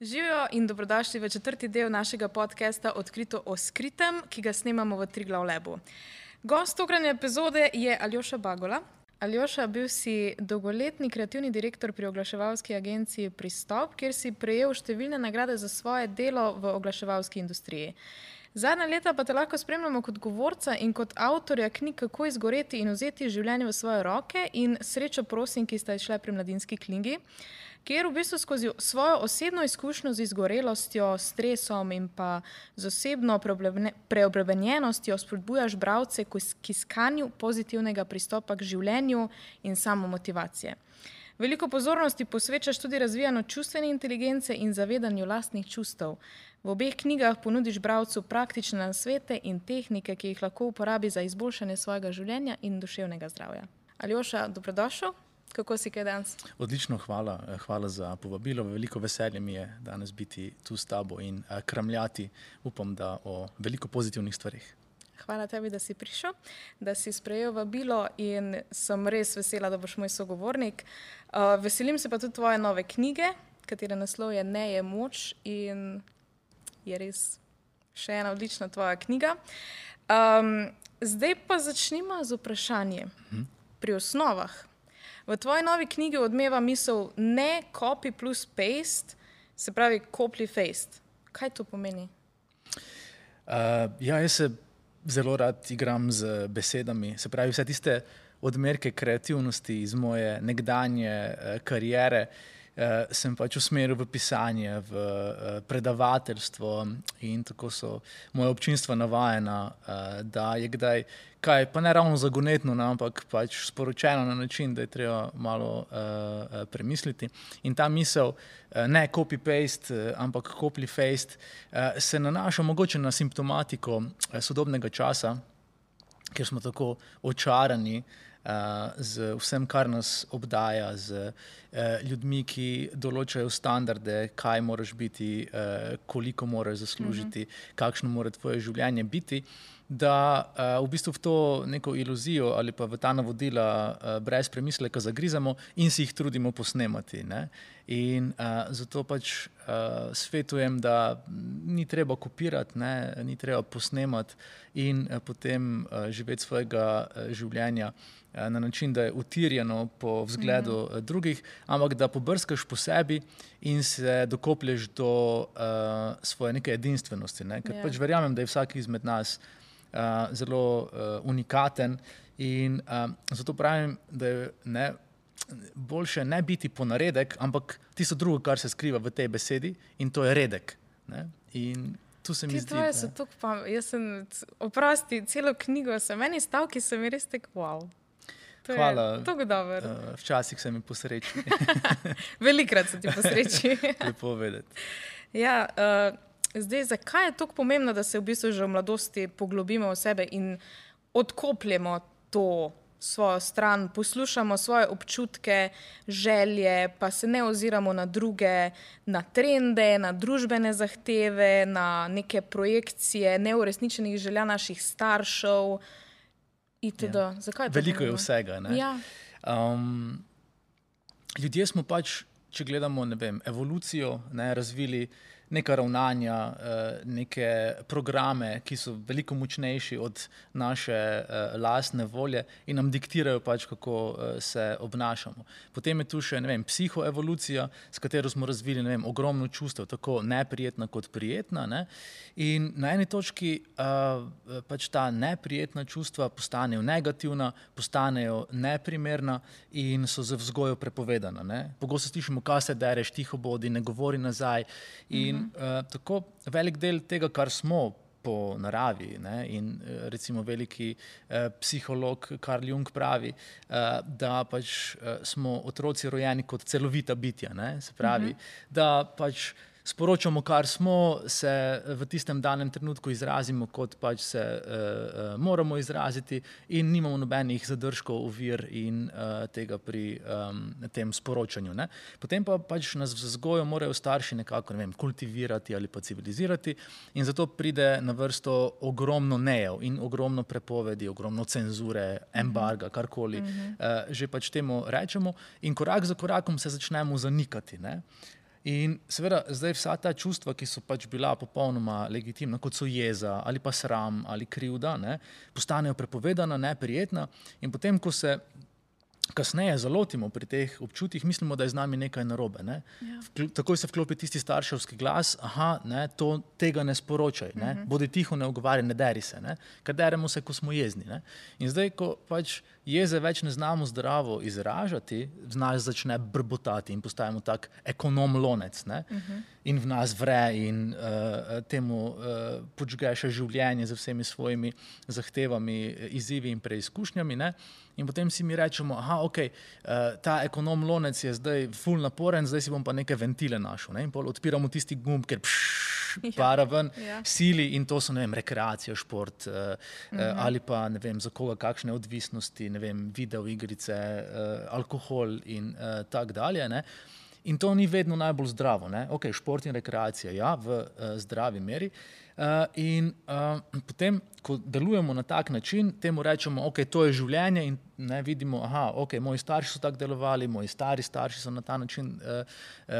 Živijo in dobrodošli v četrti del našega podcasta Odkrito o skritem, ki ga snemamo v Triglav Labu. Gost tokratne epizode je Aljoša Bagola. Aljoša, bil si dolgoletni kreativni direktor pri oglaševalski agenciji Pristop, kjer si prejel številne nagrade za svoje delo v oglaševalski industriji. Zadnja leta pa te lahko spremljamo kot govorca in kot avtorja knjig Kako izgoreti in vzeti življenje v svoje roke in Srečo prosim, ki sta izšle pri Mladinski knjigi, kjer v bistvu skozi svojo osebno izkušnjo z izgorelostjo, stresom in pa z osebno preobremenjenostjo spodbujaš bralce k iskanju pozitivnega pristopa k življenju in samomotivacije. Veliko pozornosti posvečaš tudi razvijanju čustvene inteligence in zavedanju lastnih čustev. V obeh knjigah ponudiš bralcu praktične nasvete in tehnike, ki jih lahko uporabi za izboljšanje svojega življenja in duševnega zdravja. Aljoša, dobrodošel. Kako si kaj danes? Odlično, hvala za povabilo. Veliko veselje mi je danes biti tu s tabo in kramljati, upam, da o veliko pozitivnih stvarih. Hvala tebi, da si prišel, da si sprejel vabilo in sem res vesela, da boš moj sogovornik. Veselim se pa tudi tvoje nove knjige, katere naslov je Ne je moč in je res še ena odlična tvoja knjiga. Zdaj pa začnimo z vprašanjem. Pri osnovah. V tvoji novi knjigi odmeva misel ne copy plus paste, se pravi copy paste. Kaj to pomeni? Jaz se zelo rad igram z besedami, se pravi vse tiste odmerke kreativnosti iz moje nekdanje kariere sem pač usmeril v pisanje, v predavateljstvo in tako so moje občinstva navajena, da je kdaj kaj, pa ne ravno zagonetno, ampak pač sporočeno na način, da je treba malo premisliti. In ta misel, ne copy-paste, ampak copy-paste, se nanaša mogoče na simptomatiko sodobnega časa, kjer smo tako očarani z vsem, kar nas obdaja, z ljudmi, ki določajo standarde, kaj moraš biti, koliko moraš zaslužiti, kakšno mora tvoje življenje biti, da v bistvu v to neko iluzijo ali pa v ta navodila brez premisleka zagrizamo in si jih trudimo posnemati. Ne? In zato pač svetujem, da ni treba kopirati, ni treba posnemati in potem živeti svojega življenja na način, da je utirjeno po vzgledu drugih, ampak da pobrskaš po sebi in se dokoplješ do svoje neke edinstvenosti. Ne? Ker pač verjamem, da je vsak izmed nas zelo unikaten in zato pravim, da je boljše ne biti ponaredek, ampak tisto drugo, kar se skriva v tej besedi in to je redek. Ne? In tu se mi zdi... Tvoje so tako jaz sem, oprosti, celo knjigo sem, meni stavki so mi res tak wow. To Hvala. Je tako dober. Včasih se mi posreči. Velikrat se ti posreči. Lepo vedeti. Ja, zdaj, zakaj je tako pomembno, da se v bistvu že v mladosti poglobimo v sebe in odkopljemo to svojo stran, poslušamo svoje občutke, želje, pa se ne oziramo na druge, na trende, na družbene zahteve, na neke projekcije neuresničenih želja naših staršev itd. Ja. Zakaj je to veliko pomembno? Je vsega. Ne? Ja. Ljudje smo pač, če gledamo, ne vem, evolucijo, razvili neka ravnanja, neke programe, ki so veliko močnejši od naše lastne volje in nam diktirajo pač, kako se obnašamo. Potem je tu še, ne vem, psihoevolucija, s katero smo razvili, ne vem, ogromno čustev, tako neprijetna kot prijetna, ne? In na eni točki pač ta neprijetna čustva postanejo negativna, postanejo neprimerna in so z vzgojo prepovedana. Ne? Pogosto slišimo, kaj se dereš, tiho bodi, ne govori nazaj in tako velik del tega, kar smo po naravi, ne? In recimo veliki psiholog Carl Jung pravi, da pač smo otroci rojeni kot celovita bitja, ne? Se pravi, da pač sporočamo, kar smo, se v tistem danem trenutku izrazimo, kot pač se moramo izraziti in nimamo nobenih zadržkov, ovir in tega pri tem sporočanju. Ne? Potem pa pač nas v vzgojo morajo starši nekako, ne vem, kultivirati ali pa civilizirati in zato pride na vrsto ogromno nejev in ogromno prepovedi, ogromno cenzure, embarga, karkoli že pač temu rečemo in korak za korakom se začnemo zanikati. Ne? In seveda zdaj vsa ta čustva, ki so pač bila popolnoma legitimna, kot so jeza ali pa sram ali krivda, ne, postanejo prepovedana, neprijetna in potem, ko se kasneje zalotimo pri teh občutjih, mislimo, da je z nami nekaj narobe. Ne? Takoj se vklopi tisti starševski glas, ne, tega ne sporočaj, ne? Bodi tiho, ne ogovarjaj, ne deri se, ne? Ker deremo se, ko smo jezni. Ne? In zdaj, ko pač jeze več ne znamo zdravo izražati, v nas začne brbotati in postajamo tak ekonom lonec, ne? In v nas vre in temu podžge še življenje z vsemi svojimi zahtevami, izzivi in preizkušnjami, ne? In potem si mi rečemo, ta ekonom lonec je zdaj ful naporen, zdaj si bom pa neke ventile našel. Ne? In pol odpiramo tisti gumb, ker para ven, sili in to so, ne vem, rekreacija, šport ali pa, ne vem, za koga kakšne odvisnosti, ne vem, videoigrice, alkohol in tak dalje, ne? In to ni vedno najbolj zdravo. Ne? Šport in rekreacija, ja, v zdravi meri. In potem, ko delujemo na tak način, temu rečemo, to je življenje in ne vidimo, moji starši so tako delovali, moji stari starši so na ta način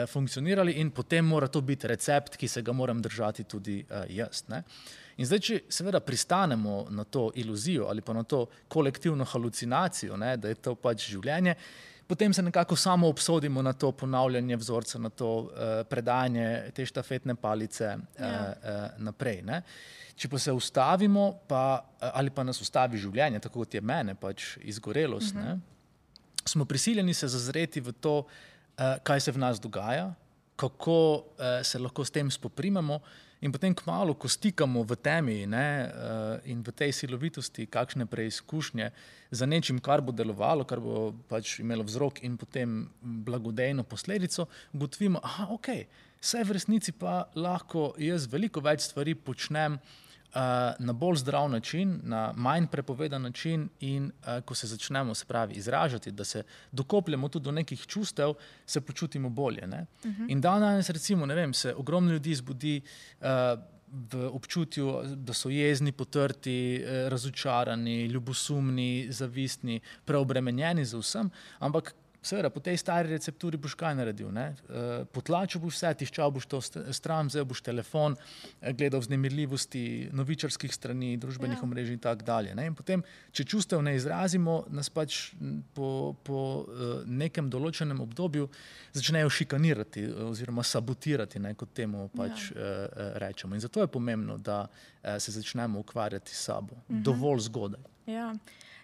funkcionirali in potem mora to biti recept, ki se ga moram držati tudi jaz. Ne? In zdaj, če seveda pristanemo na to iluzijo ali pa na to kolektivno halucinacijo, ne, da je to pač življenje, potem se nekako samo obsodimo na to ponavljanje vzorca, na to predajanje te štafetne palice naprej. Ne? Če pa se ustavimo, ali pa nas ustavi življenje, tako kot je mene, pač izgorelost, ne? Smo prisiljeni se zazreti v to, kaj se v nas dogaja, kako se lahko s tem spoprimemo in potem kmalu, ko stikamo v temi, ne, in v tej silovitosti kakšne preizkušnje za nečim, kar bo delovalo, kar bo pač imelo vzrok in potem blagodejno posledico, ugotovimo, saj v resnici pa lahko jaz veliko več stvari počnem na bolj zdrav način, na manj prepovedan način in ko se začnemo, se pravi, izražati, da se dokopljamo tudi do nekih čustev, se počutimo bolje. Ne? In danes recimo, ne vem, se ogromno ljudi zbudi v občutju, da so jezni, potrti, razočarani, ljubosumni, zavistni, preobremenjeni z vsem, ampak seveda, po tej stari recepturi boš kaj naredil, ne? Potlačil boš vse, tiščal boš to stran, vzel boš telefon, gledal vznemirljivosti novičarskih strani, družbenih omrežij in tak dalje. Ne? In potem, če čustev ne izrazimo, nas pač po nekem določenem obdobju začnejo šikanirati oziroma sabotirati, ne, kot temu pač rečemo. In zato je pomembno, da se začnemo ukvarjati s sabo dovolj zgodaj.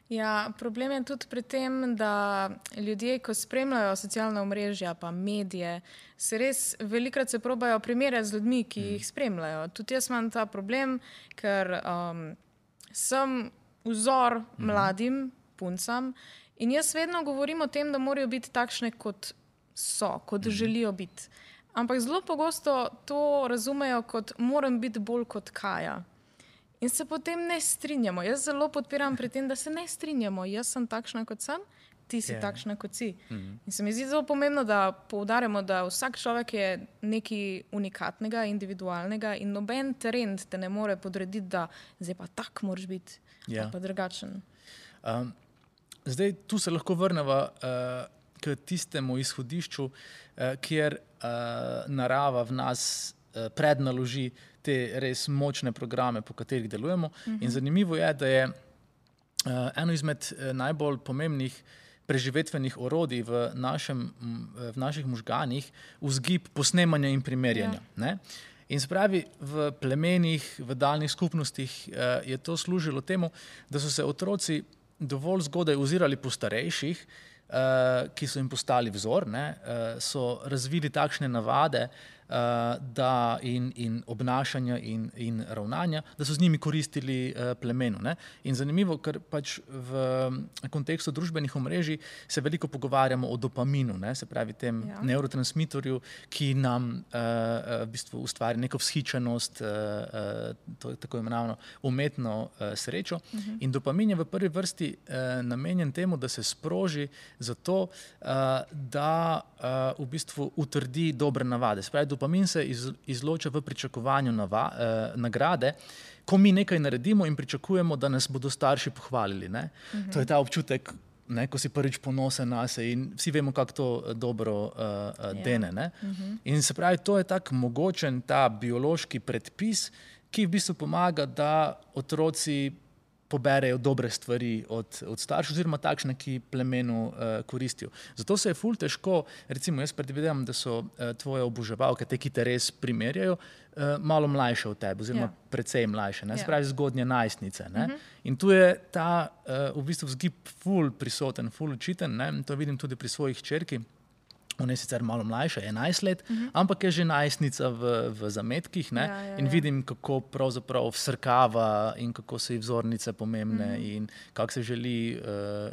Ja, problem je tudi pri tem, da ljudje, ko spremljajo socialna omrežja pa medije, se res velikokrat se probajo primerjati z ljudmi, ki jih spremljajo. Tudi jaz imam ta problem, ker sem vzor mladim puncam in jaz vedno govorim o tem, da morajo biti takšne, kot so, kot želijo biti. Ampak zelo pogosto to razumejo kot moram biti bolj kot Kaja. In se potem ne strinjamo. Jaz zelo podpiram pri tem, da se ne strinjamo. Jaz sem takšna, kot sem, ti si takšna, kot si. In se mi zdi zelo pomembno, da poudarjamo, da vsak človek je nekaj unikatnega, individualnega in noben trend te ne more podrediti, da zdaj pa tak moraš biti, pa drugačen. Zdaj, tu se lahko vrneva k tistemu izhodišču, kjer narava v nas prednaloži te res močne programe, po katerih delujemo. In zanimivo je, da je eno izmed najbolj pomembnih preživetvenih orodij v naših možganih vzgib posnemanja in primerjanja. Ne? In se pravi, v plemenih, v daljnih skupnostih je to služilo temu, da so se otroci dovolj zgodaj ozirali po starejših, ki so jim postali vzor, ne? So razvili takšne navade, da in obnašanja in ravnanja, da so z njimi koristili plemenu. Ne? In zanimivo, ker pač v kontekstu družbenih omrežij se veliko pogovarjamo o dopaminu, ne? Se pravi tem nevrotransmitorju, ki nam v bistvu ustvari neko vzhičenost, to je tako imenovano umetno srečo. In dopamin je v prvi vrsti namenjen temu, da se sproži zato, da v bistvu utrdi dobre navade. Se pravi, dopamin se izloča v pričakovanju nagrade, ko mi nekaj naredimo in pričakujemo, da nas bodo starši pohvalili. Ne? To je ta občutek, ne, ko si prvič ponosen na se in vsi vemo, kako to dobro dene. Ne? In se pravi, to je tak mogočen ta biološki predpis, ki v bistvu pomaga, da otroci poberejo dobre stvari od staršev, oziroma takšne, ki plemenu koristijo. Zato se je ful težko, recimo jaz predvidevam, da so tvoje oboževalke, te, ki te res primerjajo, malo mlajše od tebe, oziroma precej mlajše, ne? Se pravi zgodnje najstnice. Ne? In tu je ta v bistvu vzgib ful prisoten, ful učiten, ne? To vidim tudi pri svojih hčerki. Ona je sicer malo mlajša, 11 let, ampak je že najstnica v zametkih, ne? In vidim, kako pravzaprav vsrkava in kako so ji vzornice pomembne in kako se želi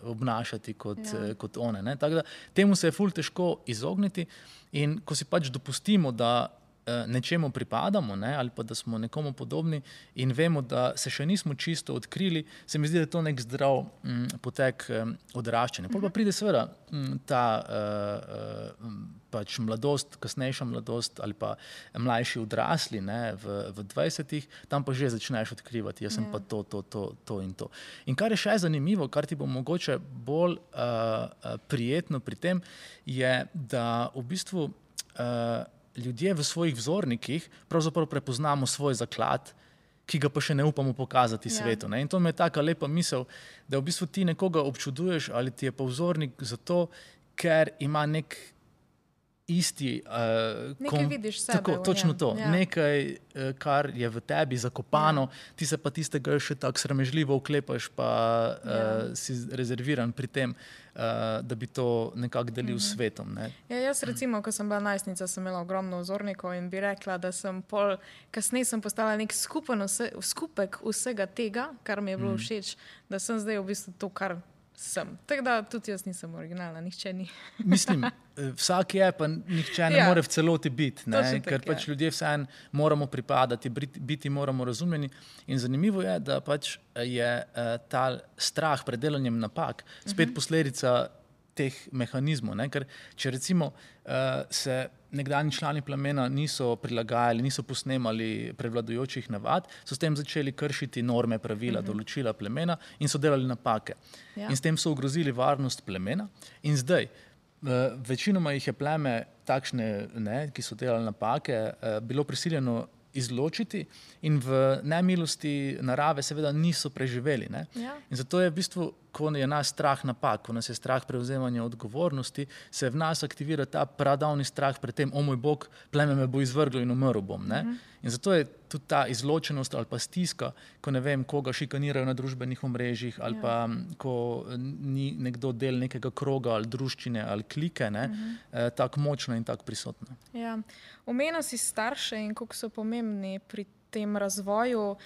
obnašati kot one. Ne? Tako da temu se je ful težko izogniti in ko si pač dopustimo, da nečemu pripadamo, ne, ali pa da smo nekomu podobni in vemo, da se še nismo čisto odkrili, se mi zdi, da je to nek zdrav potek odraščanja. Pol pa pride seveda ta pač mladost, kasnejša mladost ali pa mlajši odrasli, ne, v 20-ih, tam pa že začneš odkrivati, jaz sem pa to in to. In kar je še zanimivo, kar ti bo mogoče bolj prijetno pri tem, je, da v bistvu ljudje v svojih vzornikih pravzaprav prepoznamo svoj zaklad, ki ga pa še ne upamo pokazati svetu. Ne? In to mi je taka lepa misel, da v bistvu ti nekoga občuduješ ali ti je pa vzornik zato, ker ima nek isti... nekaj vidiš sebe. Tako, točno to. Nekaj, kar je v tebi zakopano, ti se pa tistega še tako sramežljivo oklepaš, pa si rezerviran pri tem, da bi to nekako delil s svetom. Ne? Ja, jaz recimo, ko sem bila najstnica, sem imela ogromno vzornikov in bi rekla, da sem kasneje sem postala nek skupek vsega tega, kar mi je bilo všeč, da sem zdaj v bistvu to, kar sem. Tako da tudi jaz nisem originalna, nihče ni. Mislim, vsak je, pa nihče ne more v celoti biti, ne? Ker pač ljudje vseeno moramo pripadati, biti moramo razumljeni. In zanimivo je, da pač je ta strah pred delanjem napak spet posledica teh mehanizmov. Ne? Ker če recimo se nekdanji člani plemena niso prilagajali, niso posnemali prevladujočih navad, so s tem začeli kršiti norme, pravila, določila plemena in so delali napake. In s tem so ogrozili varnost plemena. In zdaj, večinoma jih je pleme takšne, ne, ki so delali napake, bilo prisiljeno izločiti in v nemilosti narave seveda niso preživeli. Ne? In zato je v bistvu, ko je nas strah napak, ko nas je strah prevzemanja odgovornosti, se v nas aktivira ta pradavni strah pred tem, o moj Bog, pleme me bo izvrglo in umrl bom. Ne? In zato je tudi ta izločenost ali pa stiska, ko ne vem, koga šikanirajo na družbenih omrežjih ali pa ko ni nekdo del nekega kroga ali druščine ali klike, ne, tako močna in tako prisotna. Ja. Omenil si starše in koliko so pomembni pri tem razvoju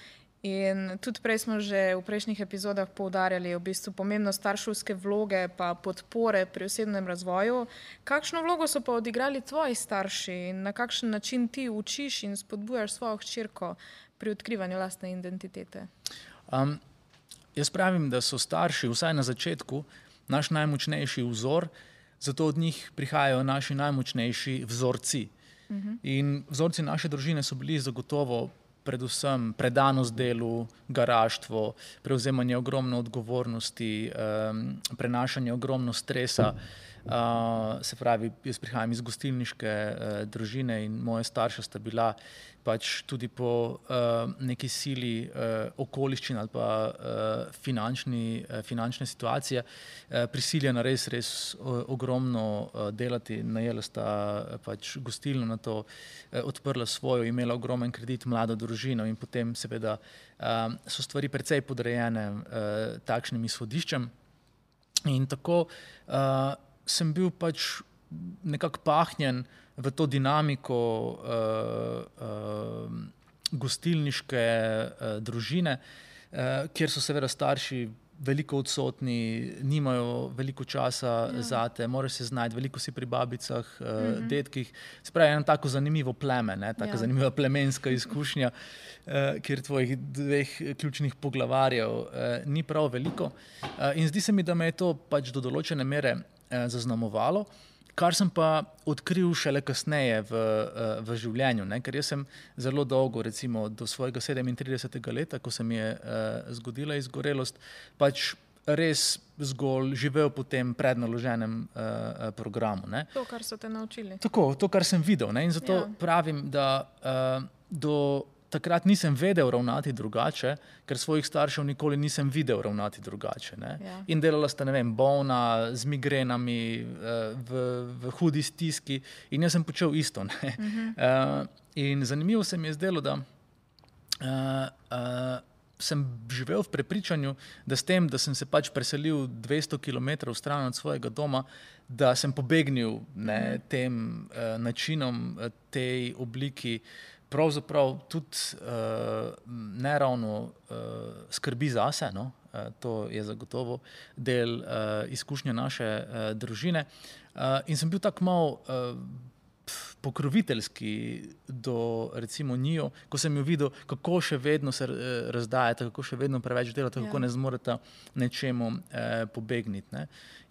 in tudi prej smo že v prejšnjih epizodah poudarjali v bistvu pomembnost starševske vloge pa podpore pri osebnem razvoju. Kakšno vlogo so pa odigrali tvoji starši in na kakšen način ti učiš in spodbujaš svojo hčerko pri odkrivanju lastne identitete? Jaz pravim, da so starši vsaj na začetku naš najmočnejši vzor, zato od njih prihajajo naši najmočnejši vzorci. In vzorci naše družine so bili zagotovo predvsem predanost delu, garaštvo, prevzemanje ogromno odgovornosti, prenašanje ogromno stresa. Se pravi, jaz prihajam iz gostilniške družine in moje starša sta bila pač tudi po neki sili okoliščin ali pa finančne situacije prisiljena res ogromno delati. Najela sta pač gostilno, na to odprla svojo, imela ogromen kredit, mlado družino in potem seveda so stvari precej podrejene takšnim izhodiščem. In tako sem bil pač nekako pahnjen v to dinamiko gostilniške družine, kjer so seveda starši veliko odsotni, nimajo veliko časa zate, moraš se znajti, veliko si pri babicah, dedkih. Se pravi, eno tako zanimivo pleme, ne? Taka zanimiva plemenska izkušnja, kjer tvojih dveh ključnih poglavarjev ni prav veliko. In zdi se mi, da me je to pač do določene mere zaznamovalo, kar sem pa odkril šele kasneje v življenju, ne? Ker jaz sem zelo dolgo, recimo do svojega 37. leta, ko se mi je zgodila izgorelost, pač res zgolj živel po tem prednaloženem programu. Ne. To, kar so te naučili. Tako, to, kar sem videl. Ne. In zato pravim, da do takrat nisem vedel ravnati drugače, ker svojih staršev nikoli nisem videl ravnati drugače. Ne. Ja. In delala sta, ne vem, bolna, z migrenami, v hudi stiski in jaz sem počel isto. Ne. In zanimivo se mi je zdelo, da sem živel v prepričanju, da s tem, da sem se pač preselil 200 km stran od svojega doma, da sem pobegnil tem načinom, tej obliki, pravzaprav tudi ne ravno skrbi zase, no? To je zagotovo del izkušnje naše družine. In sem bil tako malo pokroviteljski do recimo njiju, ko sem jo videl, kako še vedno se razdajata, kako še vedno preveč delata, kako ne zmoreta nečemu pobegniti. Ne.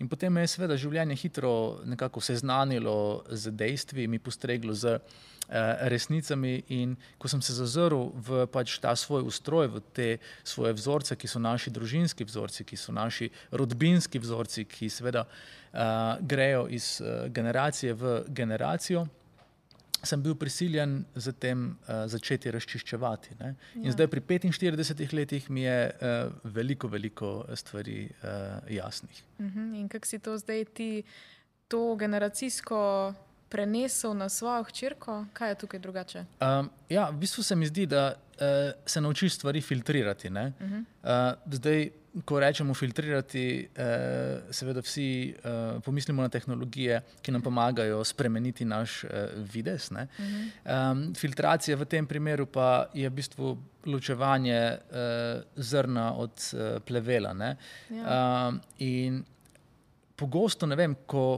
In potem me je seveda življenje hitro nekako seznanilo z dejstvi, mi postreglo z resnicami in ko sem se zazrl v pač ta svoj ustroj, v te svoje vzorce, ki so naši družinski vzorci, ki so naši rodbinski vzorci, ki seveda grejo iz generacije v generacijo, sem bil prisiljen z tem začeti razčiščevati. Ne? In zdaj pri 45 letih mi je veliko stvari jasnih. In kako si to zdaj ti to generacijsko prenesel na svojo hčerko? Kaj je tukaj drugače? Ja, v bistvu se mi zdi, da se naučiš stvari filtrirati. Ne? Zdaj, ko rečemo filtrirati, seveda vsi pomislimo na tehnologije, ki nam pomagajo spremeniti naš videz. Ne? Filtracija v tem primeru pa je v bistvu ločevanje zrna od plevela. Ne? In pogosto, ne vem, ko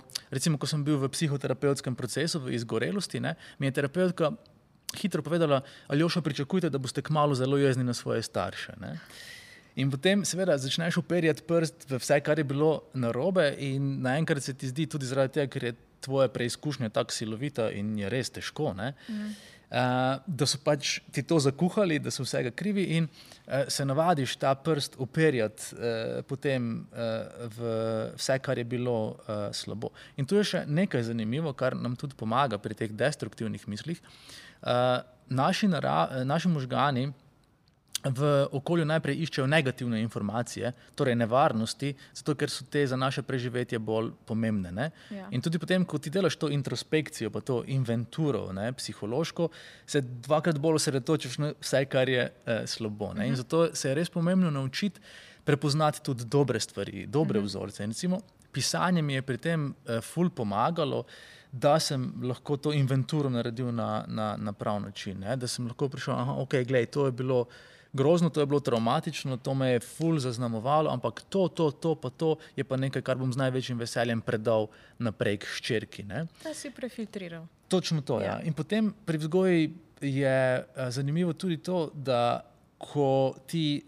sem bil v psihoterapevtskem procesu, v izgorelosti, ne, mi je terapeutka hitro povedala: Aljoša, pričakujte, da boste kmalu zelo jezni na svoje starše. Ne. In potem seveda začneš uperjati prst v vse, kar je bilo narobe in naenkrat se ti zdi tudi zaradi tega, ker je tvoja preizkušnja tako silovita in je res težko, ne, da so pač ti to zakuhali, da so vsega krivi in se navadiš ta prst uperjati potem v vse, kar je bilo slabo. In tu je še nekaj zanimivo, kar nam tudi pomaga pri teh destruktivnih mislih. Naši možgani v okolju najprej iščejo negativne informacije, torej nevarnosti, zato ker so te za naše preživetje bolj pomembne. Ne? Ja. In tudi potem, ko ti delaš to introspekcijo, pa to inventuro, ne, psihološko, se dvakrat bolj osredotočiš na vse, kar je slabo. Ne? In zato se je res pomembno naučiti prepoznati tudi dobre stvari, dobre vzorce. In recimo, pisanje mi je pri tem ful pomagalo, da sem lahko to inventuro naredil na prav način. Ne? Da sem lahko prišel, ok, glej, to je bilo grozno, to je bilo traumatično, to me je ful zaznamovalo, ampak to pa to je pa nekaj, kar bom z največjim veseljem predal naprej k hčerki. Ne? Da si prefiltriral. Točno to, ja. In potem pri vzgoji je zanimivo tudi to, da ko ti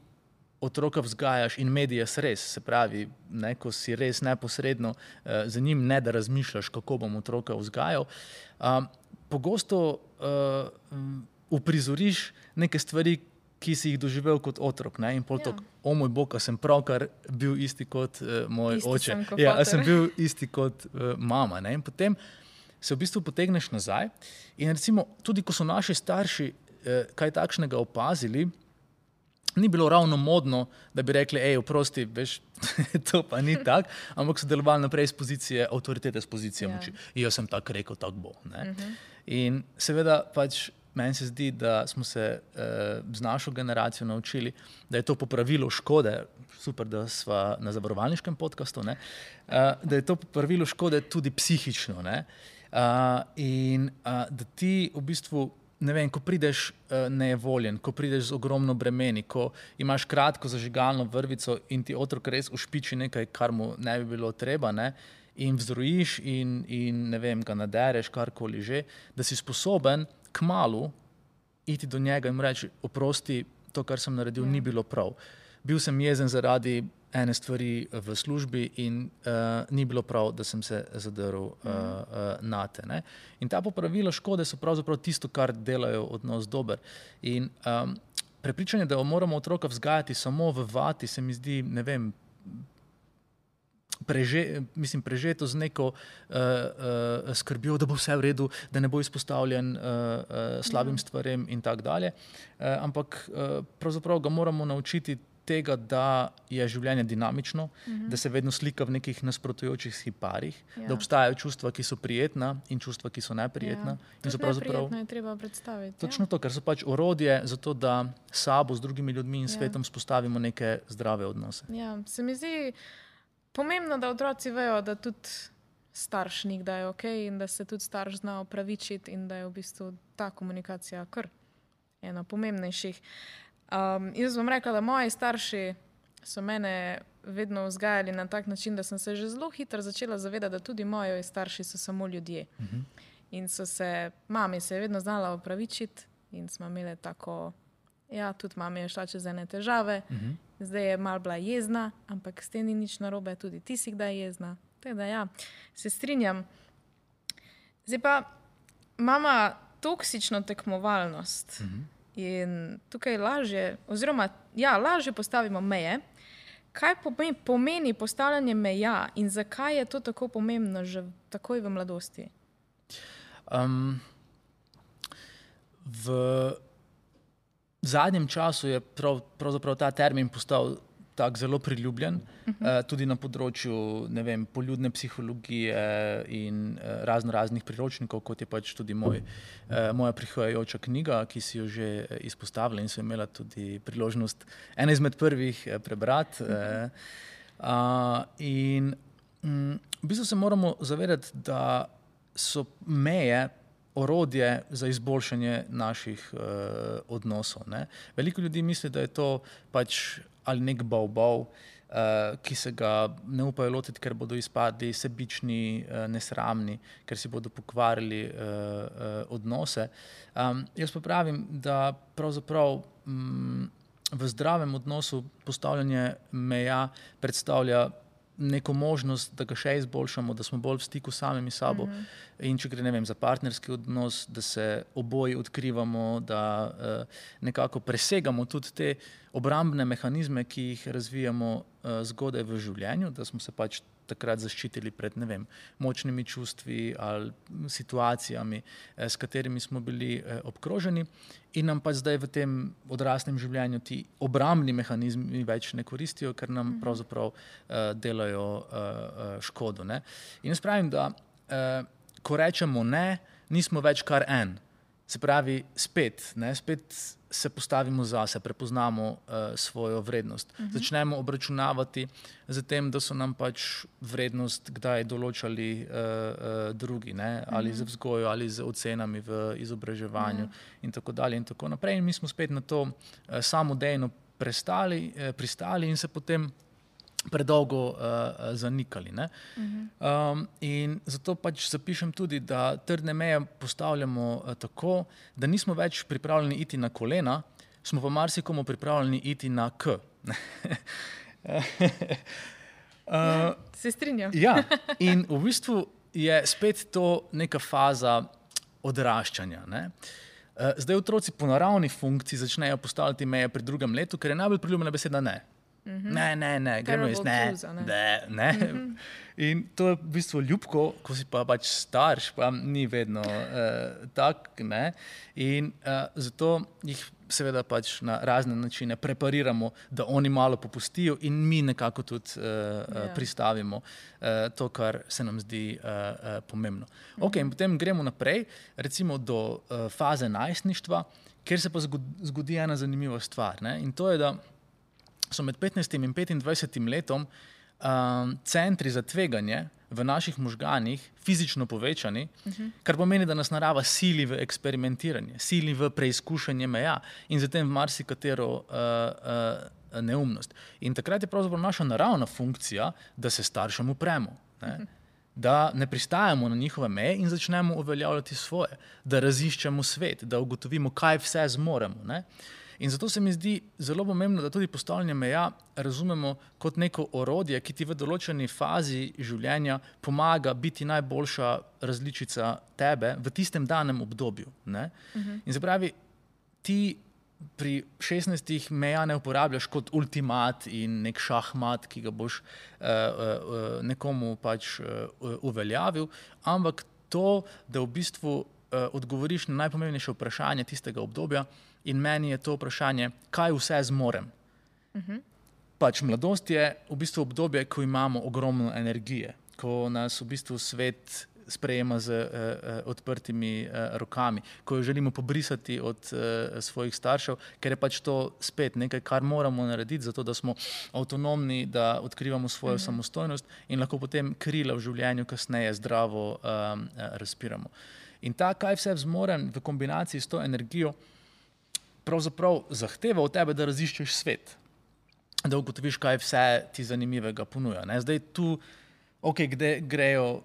otroka vzgajaš in medias res, se pravi, ne, ko si res neposredno za njim, ne da razmišljaš, kako bom otroka vzgajal, pogosto uprizoriš neke stvari, ki si jih doživel kot otrok. Ne? In pol tako, o moj bog, a sem pravkar bil isti kot moj oče. Ja, a sem bil isti kot mama. Ne? In potem se v bistvu potegneš nazaj in recimo tudi, ko so naši starši kaj takšnega opazili, ni bilo ravno modno, da bi rekli, oprosti, veš, to pa ni tak, ampak so delovali naprej z pozicije avtoritete, z pozicije moči. Jaz sem tako rekel, tako bo. Ne? In seveda pač meni se zdi, da smo se z našo generacijo naučili, da je to popravilo škode, super, da sva na zavarovalniškem podcastu, ne? Da je to popravilo škode tudi psihično. Ne? In da ti v bistvu, ne vem, ko prideš nejevoljen, ko prideš z ogromno bremeni, ko imaš kratko zažigalno vrvico in ti otrok res ušpiči nekaj, kar mu ne bi bilo treba, ne? In vzrojiš in ne vem, ga nadereš, karkoli že, da si sposoben kmalu iti do njega in mu reči, oprosti, to, kar sem naredil, ni bilo prav. Bil sem jezen zaradi ene stvari v službi in ni bilo prav, da sem se zadrl nate. Ne? In ta popravila škode so pravzaprav tisto, kar delajo odnos dober. In prepričanje, da moramo otroka vzgajati samo v vati, se mi zdi, ne vem, prežeto z neko skrbjo, da bo vse v redu, da ne bo izpostavljen slabim stvarem in tako dalje. Ampak pravzaprav ga moramo naučiti tega, da je življenje dinamično, da se vedno slika v nekih nasprotujočih si parih, da obstajajo čustva, ki so prijetna in čustva, ki so neprijetna. In neprijetno je treba predstaviti. Točno to, ker so pač orodje za to, da sabo, z drugimi ljudmi in svetom spostavimo neke zdrave odnose. Ja, se mi zdi pomembno, da otroci vejo, da tudi starš nikdaj je okej in da se tudi starš zna opravičiti in da je v bistvu ta komunikacija kar ena pomembnejših. Jaz bom rekla, da moji starši so mene vedno vzgajali na tak način, da sem se že zelo hitro začela zavedati, da tudi moji starši so samo ljudje. In mami se je vedno znala opravičiti in smo imeli tako, tudi mami je šla čez ene težave, zdaj je malo bila jezna, ampak s tem ni nič narobe, tudi ti si kdaj jezna. Teda se strinjam. Zdaj pa mama toksično tekmovalnost. In tukaj lažje postavimo meje. Kaj pomeni postavljanje meja in zakaj je to tako pomembno že takoj v mladosti? V zadnjem času je pravzaprav ta termin postal tak zelo priljubljen, tudi na področju, poljudne psihologije in raznih priročnikov, kot je pač tudi moja prihajajoča knjiga, ki si jo že izpostavila in so imela tudi priložnost ena izmed prvih prebrati. In v bistvu se moramo zavedati, da so meje orodje za izboljšanje naših odnosov. Veliko ljudi misli, da je to pač ali nek bav, ki se ga ne upajo lotiti, ker bodo izpadli sebični, nesramni, ker si bodo pokvarili odnose. Jaz pa pravim, da pravzaprav v zdravem odnosu postavljanje meja predstavlja neko možnost, da ga še izboljšamo, da smo bolj v stiku samimi sabo. In če gre, za partnerski odnos, da se oboji odkrivamo, da nekako presegamo tudi te obrambne mehanizme, ki jih razvijamo zgodaj v življenju, da smo se pač takrat zaščitili pred, močnimi čustvi ali situacijami, s katerimi smo bili obkroženi in nam pa zdaj v tem odraslem življenju ti obrambni mehanizmi več ne koristijo, ker nam pravzaprav delajo škodo. In jaz pravim, da ko rečemo ne, nismo več kar en. Se pravi, spet se postavimo zase, prepoznamo svojo vrednost. Začnemo obračunavati z tem, da so nam pač vrednost kdaj določali drugi, ali z vzgojo, ali z ocenami v izobraževanju in tako dalje in tako naprej. In mi smo spet na to samodejno pristali in se potem predolgo zanikali. In zato pač zapišem tudi, da trdne meje postavljamo tako, da nismo več pripravljeni iti na kolena, smo pa marsikomu pripravljeni iti na K. Se strinjam. In v bistvu je spet to neka faza odraščanja. Zdaj otroci po naravni funkciji začnejo postavljati meje pri 2. letu, ker je najbolj priljubljena beseda ne. Ne, gremo jaz, ne. In to je v bistvu ljubko, ko si pa pač starš, pa ni vedno tak, in zato jih seveda pač na razne načine prepariramo, da oni malo popustijo in mi nekako tudi pristavimo to, kar se nam zdi pomembno. In potem gremo naprej, recimo do faze najstništva, kjer se pa zgodi ena zanimiva stvar, in to je, da so med 15. in 25. letom centri za tveganje v naših možganih fizično povečani, kar pomeni, da nas narava sili v eksperimentiranje, sili v preizkušanje meja in zatem v marsikatero neumnost. In takrat je pravzaprav naša naravna funkcija, da se staršem upremo, da ne pristajamo na njihove meje in začnemo uveljavljati svoje, da raziščemo svet, da ugotovimo, kaj vse zmoremo. In zato se mi zdi zelo pomembno, da tudi postavljanje meja razumemo kot neko orodje, ki ti v določeni fazi življenja pomaga biti najboljša različica tebe v tistem danem obdobju. In se pravi, ti pri 16 meja ne uporabljaš kot ultimat in nek šahmat, ki ga boš nekomu pač uveljavil, ampak to, da v bistvu odgovoriš na najpomembnejše vprašanje tistega obdobja in meni je to vprašanje, kaj vse zmorem. Pač mladost je v bistvu obdobje, ko imamo ogromno energije, ko nas v bistvu svet sprejema z odprtimi rokami, ko jo želimo pobrisati od svojih staršev, ker je pač to spet nekaj, kar moramo narediti, zato da smo avtonomni, da odkrivamo svojo samostojnost in lahko potem krila v življenju kasneje zdravo razpiramo. In ta, kaj vse zmorem v kombinaciji s to energijo, pravzaprav zahteva od tebe, da raziščeš svet, da ugotoviš, kaj vse ti zanimivega ponuja. Zdaj tu kde grejo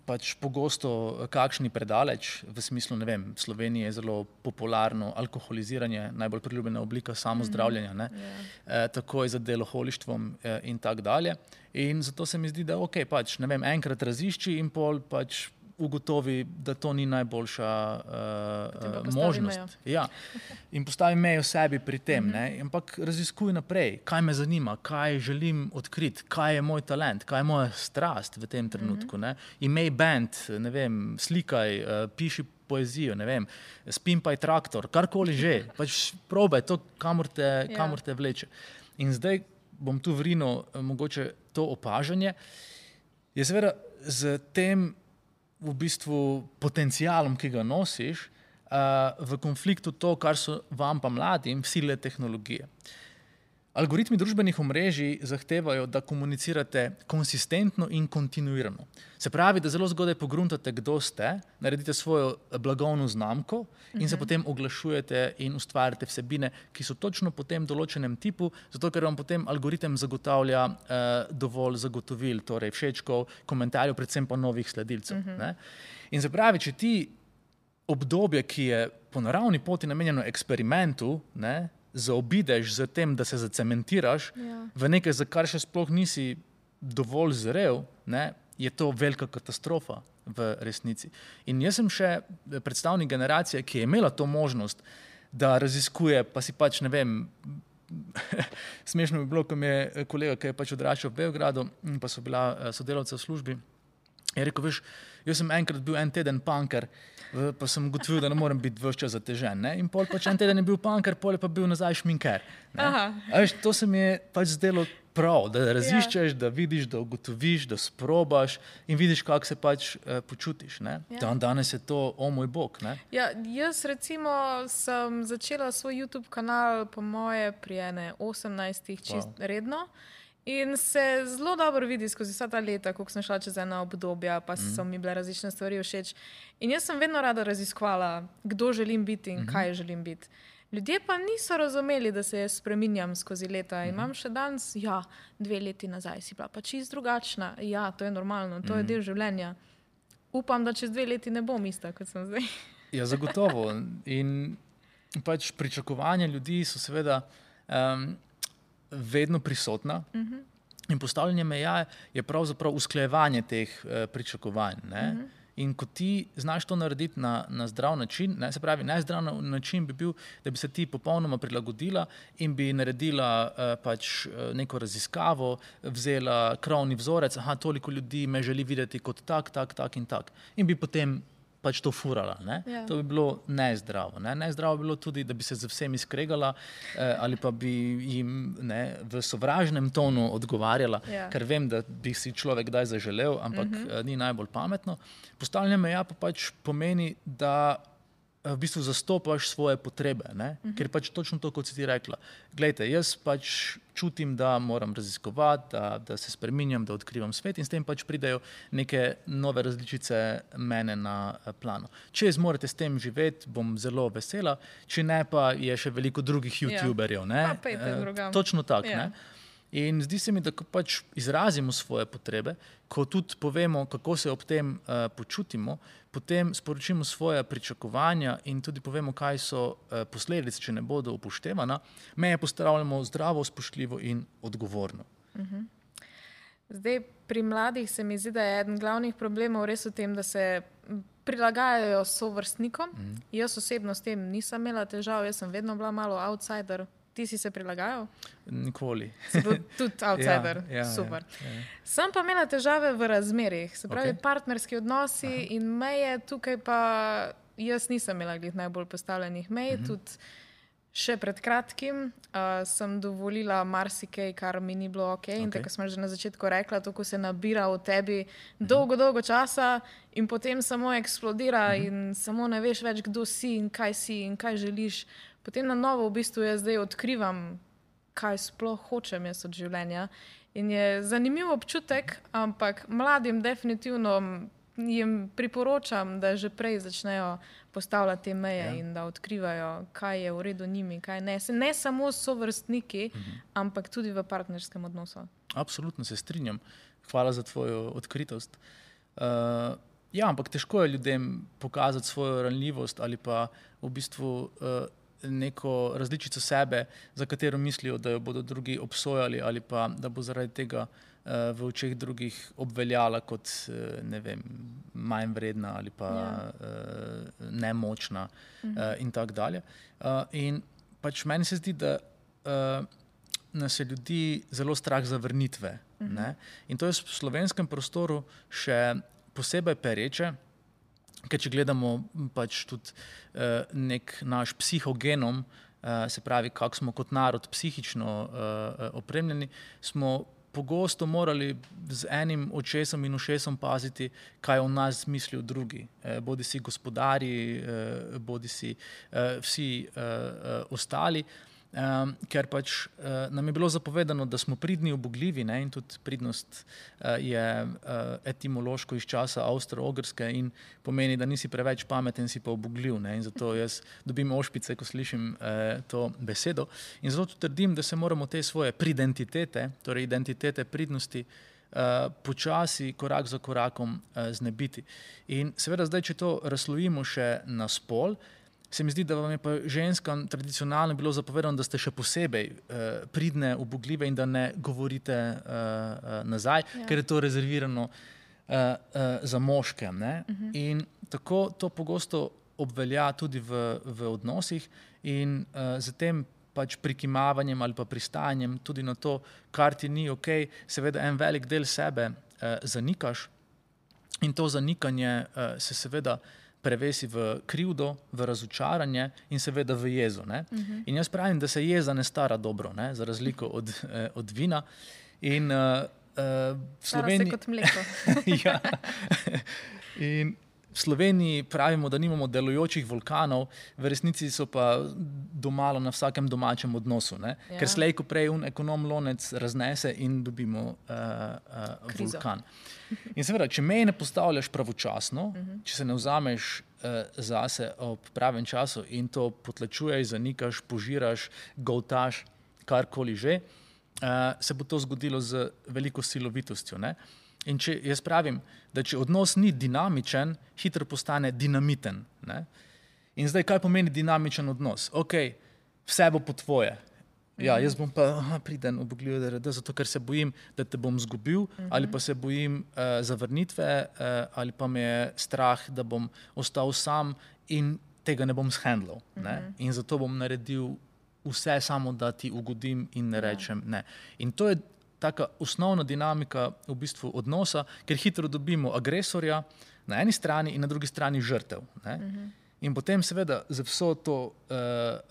pač pogosto kakšni predaleč, v smislu, ne vem, v Sloveniji je zelo popularno alkoholiziranje, najbolj priljubljena oblika samozdravljenja, takoj za deloholištvom in tak dalje. In zato se mi zdi, da pač, ne vem, enkrat razišči in pol pač ugotovi, da to ni najboljša možnost. Ja. In postavi mejo sebi pri tem, ampak raziskuj naprej, kaj me zanima, kaj želim odkriti, kaj je moj talent, kaj je moja strast v tem trenutku. Imej band, ne vem, slikaj, piši poezijo, ne vem, spimpaj traktor, karkoli že, pač probaj to, kamor te vleče. In zdaj bom tu vrinil mogoče to opažanje, je seveda z tem v bistvu potencialom, ki ga nosiš, v konfliktu to, kar so vam pa mladim sile tehnologije. Algoritmi družbenih omrežij zahtevajo, da komunicirate konsistentno in kontinuirano. Se pravi, da zelo zgodaj pogruntate, kdo ste, naredite svojo blagovno znamko in se potem oglašujete in ustvarjate vsebine, ki so točno po tem določenem tipu, zato ker vam potem algoritem zagotavlja dovolj zagotovil, torej všečkov, komentarjev, predvsem pa novih sledilcev. In se pravi, če ti obdobje, ki je po naravni poti namenjeno eksperimentu, zaobideš z tem, da se zacementiraš v nekaj, za kar še sploh nisi dovolj zrel, je to velika katastrofa v resnici. In jaz sem še predstavnik generacije, ki je imela to možnost, da raziskuje, pa si pač, ne vem, smešno bi bilo, ko mi je kolega, ki je pač odraščal v Beogradu, pa so bila sodelavca v službi, je rekel, veš, jaz sem enkrat bil en teden punker, pa sem ugotovil, da ne morem biti ves čas zatežen. In pol pač en teden je bil punker, pol je pa bil nazaj šminker. Veš, to se mi je pač zdelo prav, da raziščeš, da vidiš, da ugotoviš, da sprobaš in vidiš, kako se pač počutiš. Danes je to, moj bog. Jaz recimo sem začela svoj YouTube kanal po moje pri 18 čist redno. In se zelo dobro vidi skozi vsa ta leta, koliko sem šla čez ena obdobja, pa so mi bile različne stvari všeč. In jaz sem vedno rada raziskovala, kdo želim biti in kaj želim biti. Ljudje pa niso razumeli, da se jaz spreminjam skozi leta. Imam še danes, 2 leti nazaj si bila pa čist drugačna. Ja, to je normalno, to je del življenja. Upam, da čez 2 leti ne bom ista, kot sem zdaj. Ja, zagotovo. In pač pričakovanja ljudi so seveda vedno prisotna in postavljanje meja je pravzaprav usklajevanje teh pričakovanj. In ko ti znaš to narediti na zdrav način, se pravi, najzdrav način bi bil, da bi se ti popolnoma prilagodila in bi naredila pač neko raziskavo, vzela krovni vzorec, toliko ljudi me želi videti kot tak in tak. In bi potem pač to furala. To bi bilo nezdravo. Nezdravo bi bilo tudi, da bi se z vsemi skregala ali pa bi jim v sovražnem tonu odgovarjala, ker vem, da bi si človek kdaj zaželel, ampak ni najbolj pametno. Postavljanje meja pa pač pomeni, da v bistvu zastopaš svoje potrebe, ker pač točno to, kot si ti rekla. Glejte, jaz pač čutim, da moram raziskovati, da se spreminjam, da odkrivam svet in s tem pač pridejo neke nove različice mene na plano. Če zmorete s tem živeti, bom zelo vesela, če ne, pa je še veliko drugih youtuberjev. Pa pejte drugam. Točno tako. In zdi se mi, da ko pač izrazimo svoje potrebe, ko tudi povemo, kako se ob tem počutimo, potem sporočimo svoje pričakovanja in tudi povemo, kaj so posledice, če ne bodo upoštevana, meje postavljamo zdravo, spoštljivo in odgovorno. Zdaj, pri mladih se mi zdi, da je eden glavnih problemov res v tem, da se prilagajajo sovrstnikom. Jaz osebno s tem nisem imela težav, jaz sem vedno bila malo outsider. Ti si se prilagajal? Nikoli. Si bil tudi outsider, super. Sem pa imela težave v razmerih, se pravi partnerski odnosi in meje, tukaj pa jaz nisem imela najbolj postavljenih mej, tudi še pred kratkim sem dovolila marsikaj, kar mi ni bilo ok. In tako smo že na začetku rekla, to, ko se nabira v tebi dolgo časa in potem samo eksplodira in samo ne veš več, kdo si in kaj želiš. Potem na novo v bistvu jaz zdaj odkrivam, kaj sploh hočem jaz od življenja. In je zanimiv občutek, ampak mladim definitivno jim priporočam, da že prej začnejo postavljati te meje in da odkrivajo, kaj je v redu njimi, kaj ne. Ne samo sovrstniki, ampak tudi v partnerskem odnosu. Absolutno se strinjam. Hvala za tvojo odkritost. Ampak težko je ljudem pokazati svojo ranljivost ali pa v bistvu neko različico sebe, za katero mislijo, da jo bodo drugi obsojali ali pa da bo zaradi tega v očeh drugih obveljala kot, ne vem, manj vredna ali pa nemočna in tako dalje. In pač meni se zdi, da nas je ljudi zelo strah zavrnitve. Ne? In to je v slovenskem prostoru še posebej pereče, ker če gledamo pač tudi nek naš psihogenom, se pravi, kako smo kot narod psihično opremljeni, smo pogosto morali z enim očesom in ušesom paziti, kaj o nas mislijo drugi. Bodi si gospodarji, bodi si vsi ostali. Ker pač nam je bilo zapovedano, da smo pridni, ubogljivi, ne? In tudi pridnost je etimološko iz časa Avstro-Ogrske in pomeni, da nisi preveč pameten, si pa ubogljiv, ne? In zato jaz dobim ošpice, ko slišim to besedo. In zato trdim, da se moramo te svoje pridentitete, torej identitete pridnosti, počasi, korak za korakom znebiti. In seveda zdaj, če to razslojimo še na spol, se mi zdi, da vam je pa ženskam tradicionalno bilo zapovedano, da ste še posebej pridne, ubogljive in da ne govorite nazaj, ker je to rezervirano za moške. Ne? In tako to pogosto obvelja tudi v odnosih in z tem pač prikimavanjem ali pa pristajanjem tudi na to, kar ti ni ok, seveda en velik del sebe zanikaš in to zanikanje se seveda prevesi v krivdo, v razočaranje in seveda v jezo. Ne? In jaz pravim, da se jeza ne stara dobro, ne? Za razliko od vina. In stara se kot mleko. Ja. In v Sloveniji pravimo, da nimamo delujočih vulkanov, v resnici so pa domala na vsakem domačem odnosu, ne? Ker slej ko prej ekonom lonec raznese in dobimo vulkan. In seveda, če meje ne postavljaš pravočasno, če se ne vzameš zase ob pravem času in to potlačuješ, zanikaš, požiraš, goltaš, karkoli že, se bo to zgodilo z veliko silovitostjo, ne? In če jaz pravim, da če odnos ni dinamičen, hitro postane dinamiten. Ne? In zdaj, kaj pomeni dinamičen odnos? Ok, vse bo po tvoje. Ja, jaz bom pa priden, ubogljiv, zato ker se bojim, da te bom zgubil, ali pa se bojim zavrnitve, ali pa me je strah, da bom ostal sam in tega ne bom shendlal. Ne? In zato bom naredil vse samo, da ti ugodim in ne rečem ne. In to je taka osnovna dinamika v bistvu odnosa, ker hitro dobimo agresorja na eni strani in na drugi strani žrtev. Ne? In potem seveda z vso to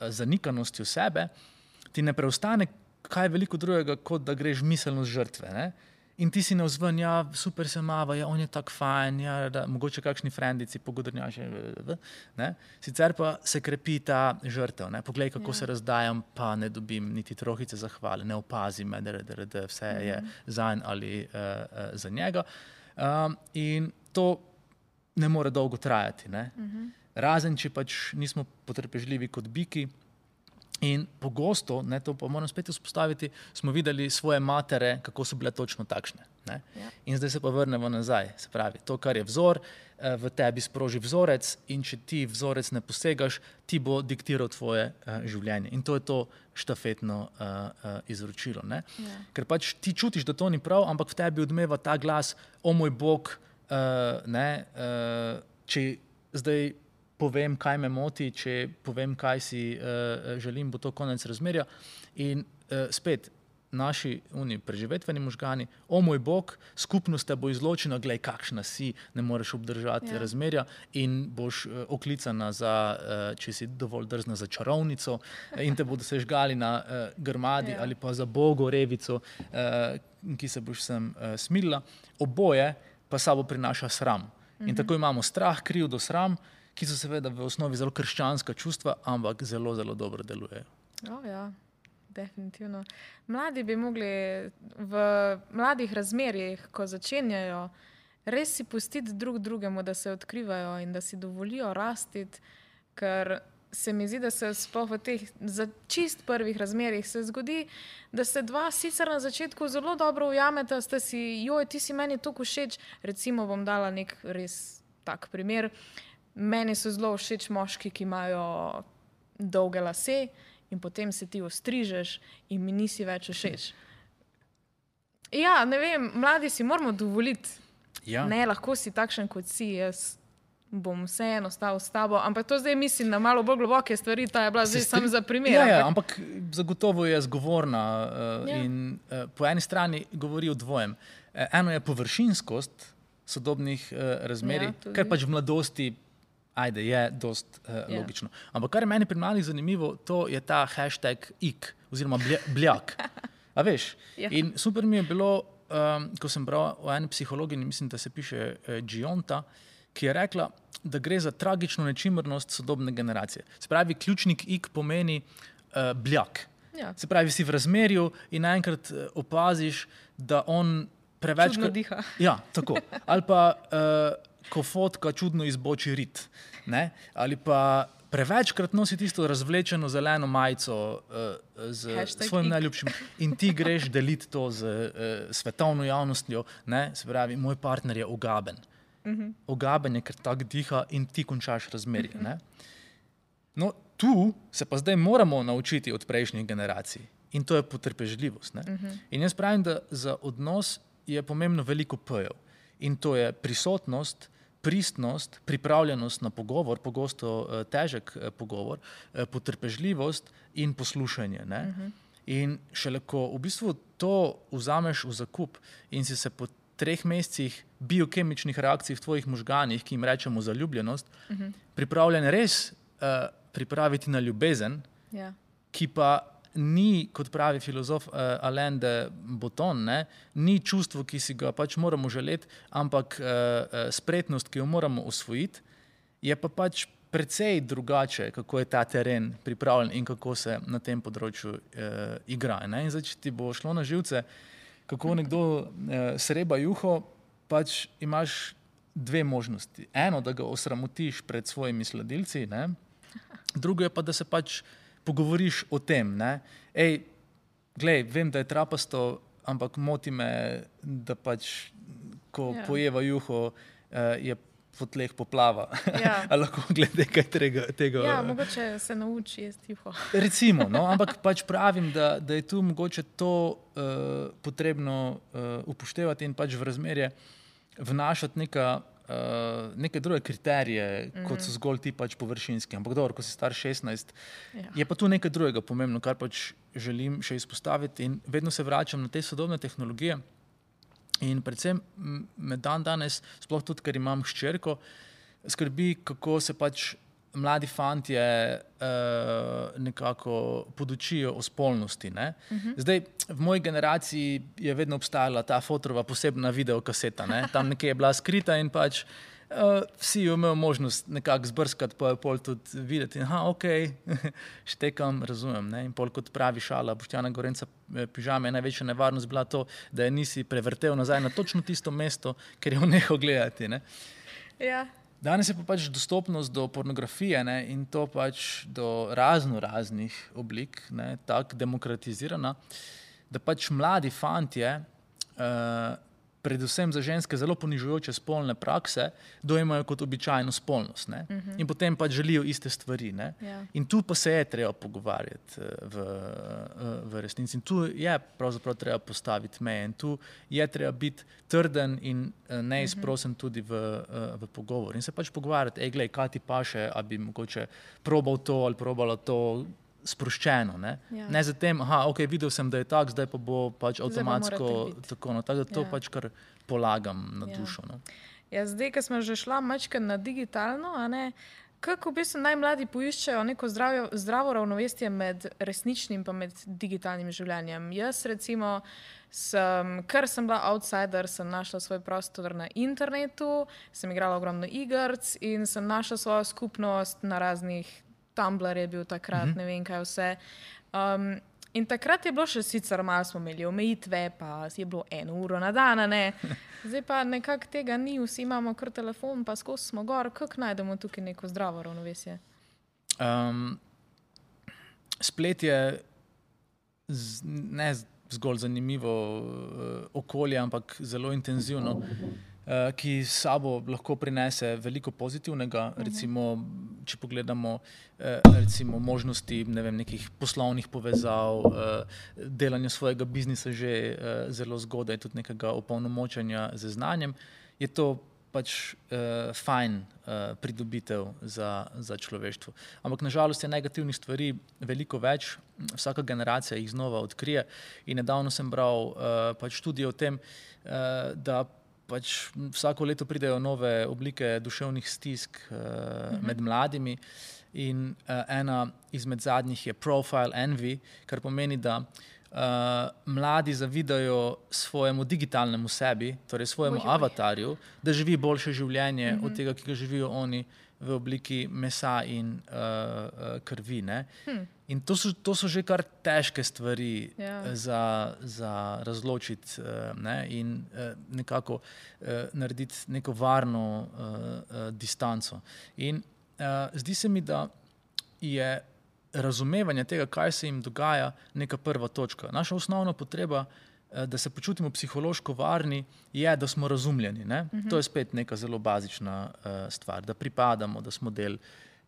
zanikanostjo sebe ti ne preostane kaj veliko drugega, kot da greš miselno z žrtve. Ne? In ti si navzven, ja, super se mava, ja, on je tak fajn, ja, da, mogoče kakšni frendici, pogodrnjaši, ne? Sicer pa se krepi ta žrtev, ne? Poglej, kako se razdajam, pa ne dobim niti trohice zahvale, ne opazim me, da vse je zanj ali za njega. In to ne more dolgo trajati, ne? Razen, če pač nismo potrpežljivi kot biki. In pogosto, ne, to pa moram spet vzpostaviti, smo videli svoje matere, kako so bile točno takšne. Ne? In zdaj se pa vrnemo nazaj. Se pravi, to, kar je vzor, v tebi sproži vzorec in če ti vzorec ne posegaš, ti bo diktiral tvoje življenje. In to je to štafetno izročilo. Ne? Ker pač ti čutiš, da to ni prav, ampak v tebi odmeva ta glas, o moj Bog, če zdaj povem, kaj me moti, če povem, kaj si želim, bo to konec razmerja. In spet, naši preživetveni možgani, o moj bog, skupnost te bo izločena, glej, kakšna si, ne moreš obdržati razmerja in boš oklicana za, če si dovolj drzna, za čarovnico in te bodo se žgali na grmadi ali pa za bogo revico, ki se boš sem smilila. Oboje pa sabo prinaša sram. In tako imamo strah, krivdo, sram, ki so seveda v osnovi zelo krščanska čustva, ampak zelo, zelo dobro delujejo. Ja. Definitivno. Mladi bi mogli v mladih razmerjih, ko začenjajo, res si pustiti drug drugemu, da se odkrivajo in da si dovolijo rastiti, ker se mi zdi, da se sploh v teh čist prvih razmerjih se zgodi, da se dva sicer na začetku zelo dobro ujameta, sta si, joj, ti si meni toliko všeč, recimo bom dala nek res tak primer, meni so zelo všeč moški, ki imajo dolge lase, in potem se ti ostrižeš in mi nisi več všeč. Ja, ne vem, mladi si moramo dovoliti. Ja. Ne, lahko si takšen, kot si, jaz bom vseeno stal s tabo, ampak to zdaj mislim na malo bolj globoke stvari, ta je bila zdaj samo za primer. Ja, ampak zagotovo je zgovorna in po eni strani govori o dvojem. Eno je površinskost sodobnih razmerij, kar pač v mladosti je dost logično. Ampak kar je meni pri mladih zanimivo, to je ta hashtag ik, oziroma bljak. A veš? In super mi je bilo, ko sem bral o eni psihologini, mislim, da se piše Gionta, ki je rekla, da gre za tragično nečimrnost sodobne generacije. Se pravi, ključnik ik pomeni bljak. Se pravi, si v razmerju in naenkrat opaziš, da on preveč... Čudno diha. Ja, tako. Ali pa... ko fotka čudno izboči rit. Ne? Ali pa prevečkrat nosi tisto razvlečeno zeleno majico z svojim najljubšim in ti greš deliti to z svetovno javnostjo. Ne? Se pravi, moj partner je ogaben. Ogaben je, ker tak diha in ti končaš razmerje. Ne? No, tu se pa zdaj moramo naučiti od prejšnjih generacij in to je potrpežljivost. Ne? In jaz pravim, da za odnos je pomembno veliko p-jev. In to je prisotnost, pristnost, pripravljenost na pogovor, pogosto težek pogovor, potrpežljivost in poslušanje. Ne? In šele ko v bistvu to vzameš v zakup in si se po 3 mesecih biokemičnih reakcij v tvojih možganih, ki jim rečemo zaljubljenost, pripravljen res pripraviti na ljubezen, ki pa ni, kot pravi filozof Alain de Botton, ne, ni čustvo, ki si ga pač moramo želeti, ampak spretnost, ki jo moramo osvojiti, je pa pač precej drugače, kako je ta teren pripravljen in kako se na tem področju igra. Ne. In zdaj, če ti bo šlo na živce, kako nekdo sreba juho, pač imaš 2 možnosti. Eno, da ga osramotiš pred svojimi sledilci, ne. Drugo je pa, da se pač pogovoriš o tem, ne. Ej, glej, vem, da je trapasto, ampak moti me, da pač, ko pojeva juho, je po tleh poplava. A lahko glede kaj tega... Ja, mogoče se nauči jesti juho. Recimo, no, ampak pač pravim, da je tu mogoče to potrebno upoštevati in pač v razmerje vnašati neke druge kriterije, kot so zgolj ti pač površinski. Ampak dobro, ko si star 16, je pa tu nekaj drugega pomembno, kar pač želim še izpostaviti in vedno se vračam na te sodobne tehnologije in predvsem me danes, sploh tudi, ker imam hčerko, skrbi, kako se pač mladi fantje nekako podučijo o spolnosti. Ne? Zdaj, v moji generaciji je vedno obstajala ta fotorova posebna videokaseta. Ne? Tam nekje je bila skrita in pač vsi jo imel možnost nekako zbrskati, pa je pol tudi videti. Aha, okej, štekam, razumem. Ne? In pol kot pravi šala Boštjana Gorenca pižame, je največja nevarnost bila to, da je nisi prevrtel nazaj na točno tisto mesto, ker je jo nehal gledati. Ne? Ja. Danes je pa pač dostopnost do pornografije, ne, in to pač do raznih oblik, ne, tako demokratizirana, da pač mladi fantje predvsem za ženske zelo ponižujoče spolne prakse, dojemajo kot običajno spolnost. Ne? In potem pač želijo iste stvari. Ne? In tu pa se je treba pogovarjati v resnici. In tu je pravzaprav treba postaviti meje. In tu je treba biti trden in neizprosen tudi v pogovor. In se pač pogovarjati, glej, kaj ti paše, a bi mogoče probal to ali probala to, sproščeno. Ne zatem, ok, videl sem, da je tak, zdaj pa bo pač avtomatsko tako. No, tako da to pač kar polagam na dušo. No. Ja, zdaj, ko smo že šla mačka na digitalno, kako v bistvu najmladi poiščejo neko zdravo ravnovesje med resničnim pa med digitalnim življenjem. Jaz recimo, ker sem bila outsider, sem našla svoj prostor na internetu, sem igrala ogromno igrc in sem našla svojo skupnost na raznih Tumblr je bil takrat, ne vem kaj vse. In takrat je bilo še sicer malo, smo imeli omejitve, pa je bilo 1 uro na dan, ne. Zdaj pa nekako tega ni, vsi imamo kar telefon, pa skozi smo gor. Kako najdemo tukaj neko zdravo ravnovesje? Splet je ne zgolj zanimivo okolje, ampak zelo intenzivno, ki s sabo lahko prinese veliko pozitivnega, recimo, če pogledamo recimo možnosti, ne vem, nekih poslovnih povezav, delanja svojega biznisa že zelo zgodaj, tudi nekega opolnomočenja z znanjem, je to pač fajn pridobitev za človeštvo. Ampak nažalost je negativnih stvari veliko več, vsaka generacija jih znova odkrije in nedavno sem bral pač študije o tem, da pač vsako leto pridejo nove oblike duševnih stisk med mladimi in ena izmed zadnjih je profile envy, kar pomeni, da mladi zavidajo svojemu digitalnemu sebi, torej svojemu avatarju, da živi boljše življenje od tega, ki ga živijo oni v obliki mesa in krvi. Ne? In to so že kar težke stvari za razločiti in nekako narediti neko varno distanco. In zdi se mi, da je razumevanje tega, kaj se jim dogaja, neka prva točka. Naša osnovna potreba, da se počutimo psihološko varni, je, da smo razumljeni. Ne? To je spet neka zelo bazična stvar, da pripadamo, da smo del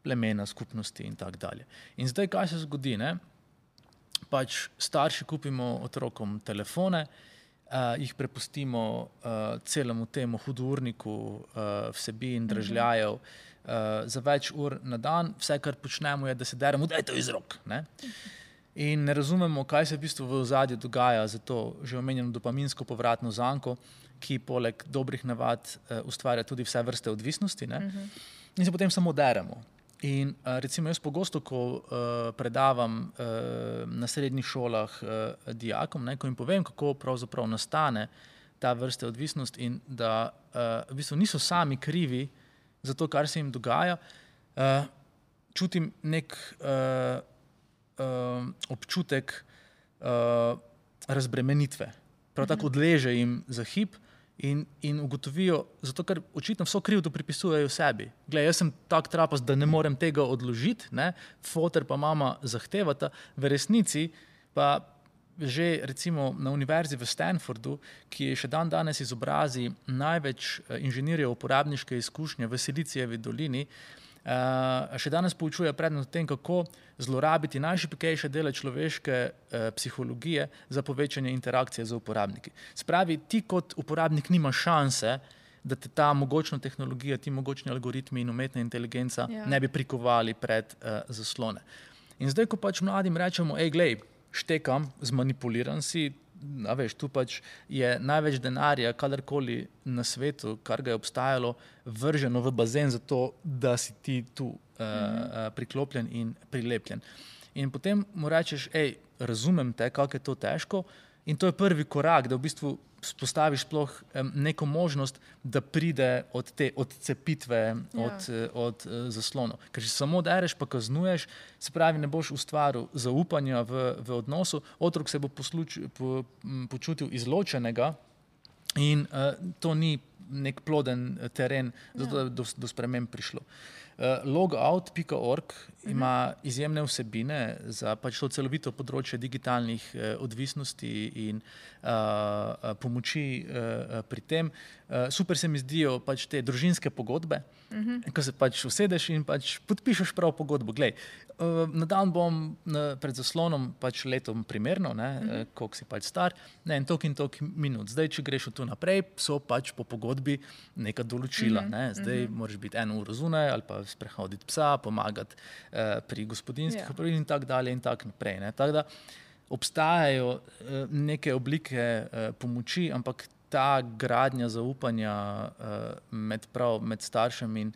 plemena, skupnosti in tako dalje. In zdaj, kaj se zgodi? Ne? Pač starši kupimo otrokom telefone, jih prepustimo celemu temu hudourniku vsebin, dražljajev, za več ur na dan, vse, kar počnemo, je, da se deremo, daj to iz rok. Ne? In ne razumemo, kaj se v bistvu v ozadju dogaja za to že omenjeno dopaminsko povratno zanko, ki poleg dobrih navad ustvarja tudi vse vrste odvisnosti. Ne? In se potem samo deremo. In recimo jaz pogosto, ko predavam na srednjih šolah dijakom, ko jim povem, kako pravzaprav nastane ta vrste odvisnost in da v bistvu niso sami krivi za to, kar se jim dogaja, čutim nek občutek razbremenitve. Prav tako odleže jim za hip in ugotovijo, zato ker očitno vso krivdo pripisujejo sebi. Glej, jaz sem tak trapast, da ne morem tega odložiti, foter pa mama zahtevata, v resnici pa že recimo na univerzi v Stanfordu, ki je še danes izobrazi največ inženirjev uporabniške izkušnje v Silicijevi dolini, še danes poučuje predmet o tem, kako zlorabiti najšibkejše dele človeške psihologije za povečanje interakcije z uporabniki. Spravi, ti kot uporabnik nima šanse, da te ta mogočna tehnologija, ti mogočni algoritmi in umetna inteligenca ne bi prikovali pred zaslone. In zdaj, ko pač mladim rečemo, glej, štekam, zmanipuliran si, veš, tu pač je največ denarja, kadarkoli na svetu, kar ga je obstajalo, vrženo v bazen za to, da si ti tu priklopljen in prilepljen. In potem mu rečeš, razumem te, kako je to težko, in to je prvi korak, da v bistvu spostaviš sploh neko možnost, da pride od te odcepitve od zaslonov. Ker če samo dereš pa kaznuješ, se pravi, ne boš ustvaril zaupanja v odnosu, otrok se bo počutil izločenega in to ni nek ploden teren, zato da do sprememb prišlo. Logout.org ima izjemne vsebine za pač to celovito področje digitalnih odvisnosti in pomoči pri tem. Super se mi zdijo pač te družinske pogodbe, ko se pač usedeš in pač podpišeš prav pogodbo. Glej, na dan bom pred zaslonom pač letom primerno, koliko si pač star, in toliko minut. Zdaj, če greš od tu naprej, so pač po pogodbi neka določila. Zdaj moraš biti 1 uro zunaj ali pa sprehoditi psa, pomagati pri gospodinjskih opravilih in tako dalje in tako naprej. Tako da obstajajo neke oblike pomoči, ampak ta gradnja zaupanja med staršem in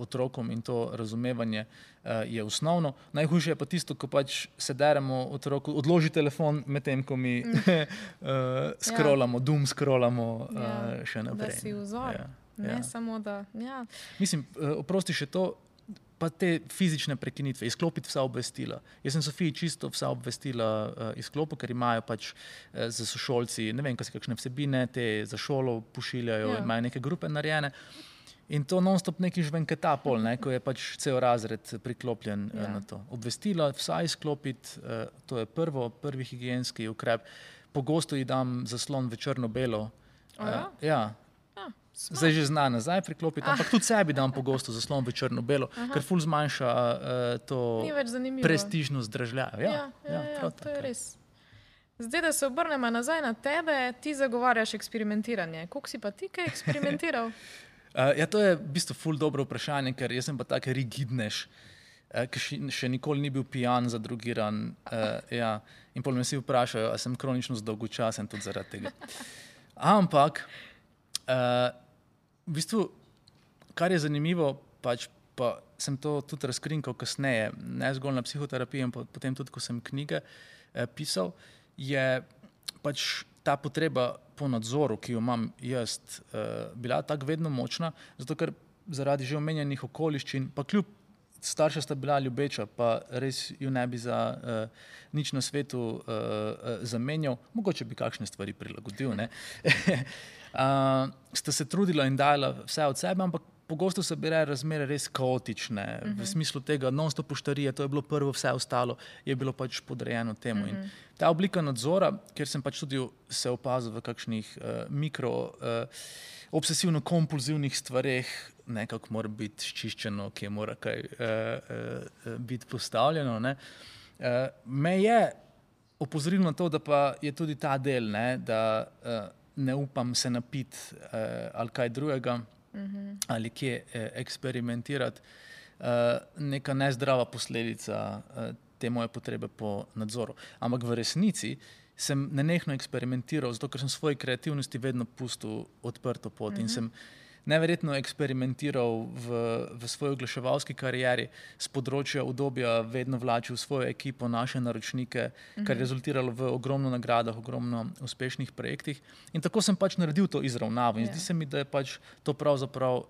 otrokom in to razumevanje je osnovno. Najhujše je pa tisto, ko pač se deremo otroku, odloži telefon medtem, ko mi scrollamo, doom scrollamo še naprej. Da si vzor, ne samo da... Ja. Mislim, oprosti še to, pa te fizične prekinitve, izklopiti vsa obvestila. Jaz sem Sofiji čisto vsa obvestila izklopil, ker imajo pač za sošolci, ne vem, kaj si kakšne vsebine, te za šolo pošiljajo, imajo neke grupe narejene. In to non-stop neki žvenketa pol, ko je pač cel razred priklopljen na to. Obvestila vsa izklopiti, to je prvi higienski ukrep. Pogosto ji dam zaslon v črno-belo. Zdaj že zna nazaj priklopiti, ampak tudi sebi dam pogosto zaslon v črno-belo, ker ful zmanjša to prestižnost dražljajo. Ja, to je res. Zdaj, da se obrnemo nazaj na tebe, ti zagovarjaš eksperimentiranje. Koliko si pa ti kaj eksperimentiral? To je v bistvu ful dobro vprašanje, ker jaz sem pa tak rigidnež, ki še nikoli ni bil pijan, zadrogiran. In pol me vsi vprašajo, a sem kronično zdolgočasen tudi zaradi tega. Ampak, v bistvu, kar je zanimivo, pač pa sem to tudi razkrinkal kasneje, ne zgolj na psihoterapiji, ampak potem tudi, ko sem knjige pisal, je pač ta potreba po nadzoru, ki jo imam jaz, bila tako vedno močna, zato ker zaradi že omenjenih okoliščin, pa kljub starša sta bila ljubeča, pa res ju ne bi za nič na svetu zamenjal, mogoče bi kakšne stvari prilagodil, sta se trudila in dajala vse od sebe, ampak pogosto so bile razmere res kaotične, v smislu tega non-stop poštarije, to je bilo prvo, vse ostalo je bilo pač podrejeno temu. In ta oblika nadzora, kjer sem pač tudi se opazil v kakšnih obsesivno-kompulzivnih stvareh, nekako mora biti sčiščeno, kje mora kaj biti postavljeno, me je opozorilo na to, da pa je tudi ta del, da ne upam se napiti ali kaj drugega, ali kje eksperimentirati, neka nezdrava posledica te moje potrebe po nadzoru. Ampak v resnici sem nenehno eksperimentiral, zato ker sem svoji kreativnosti vedno pustil odprto pot in sem neverjetno eksperimentiral v svoji oglaševalski karieri s področja udobja, vedno vlačil svojo ekipo, naše naročnike, kar je rezultiralo v ogromno nagradah, ogromno uspešnih projektih. In tako sem pač naredil to izravnavo in zdi se mi, da je pač to pravzaprav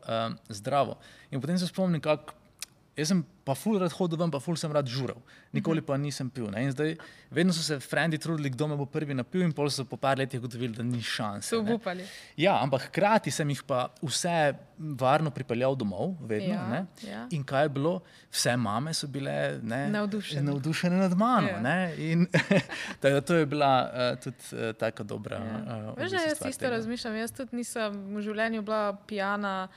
zdravo. In potem se spomnim, jaz sem pa ful rad hodil ven, pa ful sem rad žural. Nikoli pa nisem pil. In zdaj vedno so se frendi trudili, kdo me bo prvi napil in pol so po par letih ugotovili, da ni šanse. So obupali. Ja, ampak hkrati sem jih pa vse varno pripeljal domov, vedno. In kaj je bilo? Vse mame so bile navdušene nad mano. In to je bila tudi taka dobra Veš, da jaz isto razmišljam. Jaz tudi nisem v življenju bila pijana,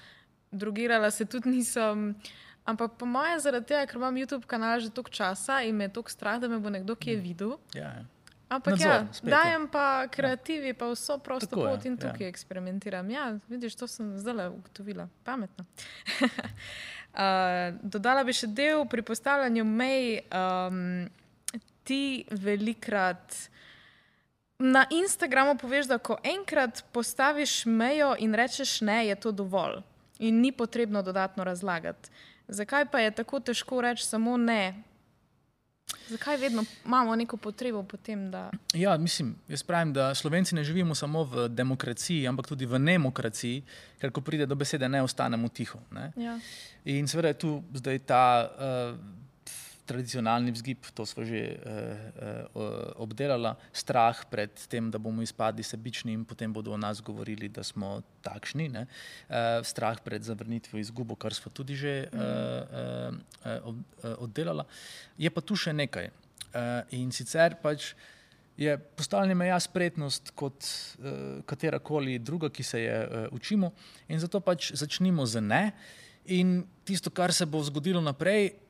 drogirala se tudi nisem. Ampak po moje zaradi tega, ker imam YouTube kanal že toliko časa in me je toliko strah, da me bo nekdo kje videl. Ampak dajem pa kreativi, pa vso prosto pot in tukaj eksperimentiram. Ja, vidiš, to sem zdaj ugotovila. Pametno. Dodala bi še del pri postavljanju mej. Ti velikrat na Instagramu poveš, da ko enkrat postaviš mejo in rečeš ne, je to dovolj. In ni potrebno dodatno razlagati. Zakaj pa je tako težko reči samo ne? Zakaj vedno imamo neko potrebo potem, da... Ja, mislim, jaz pravim, da Slovenci ne živimo samo v demokraciji, ampak tudi v nemokraciji, ker ko pride do besede ne, ostanemo tiho. In seveda je tu zdaj ta tradicionalni vzgib, to smo že obdelala, strah pred tem, da bomo izpadli sebični in potem bodo o nas govorili, da smo takšni, ne? Strah pred zavrnitvijo, izgubo, kar smo tudi že oddelala. Je pa tu še nekaj. In sicer pač je postavljanje meja spretnost kot katerakoli druga, ki se je učimo, in zato pač začnimo z ne, in tisto, kar se bo zgodilo naprej,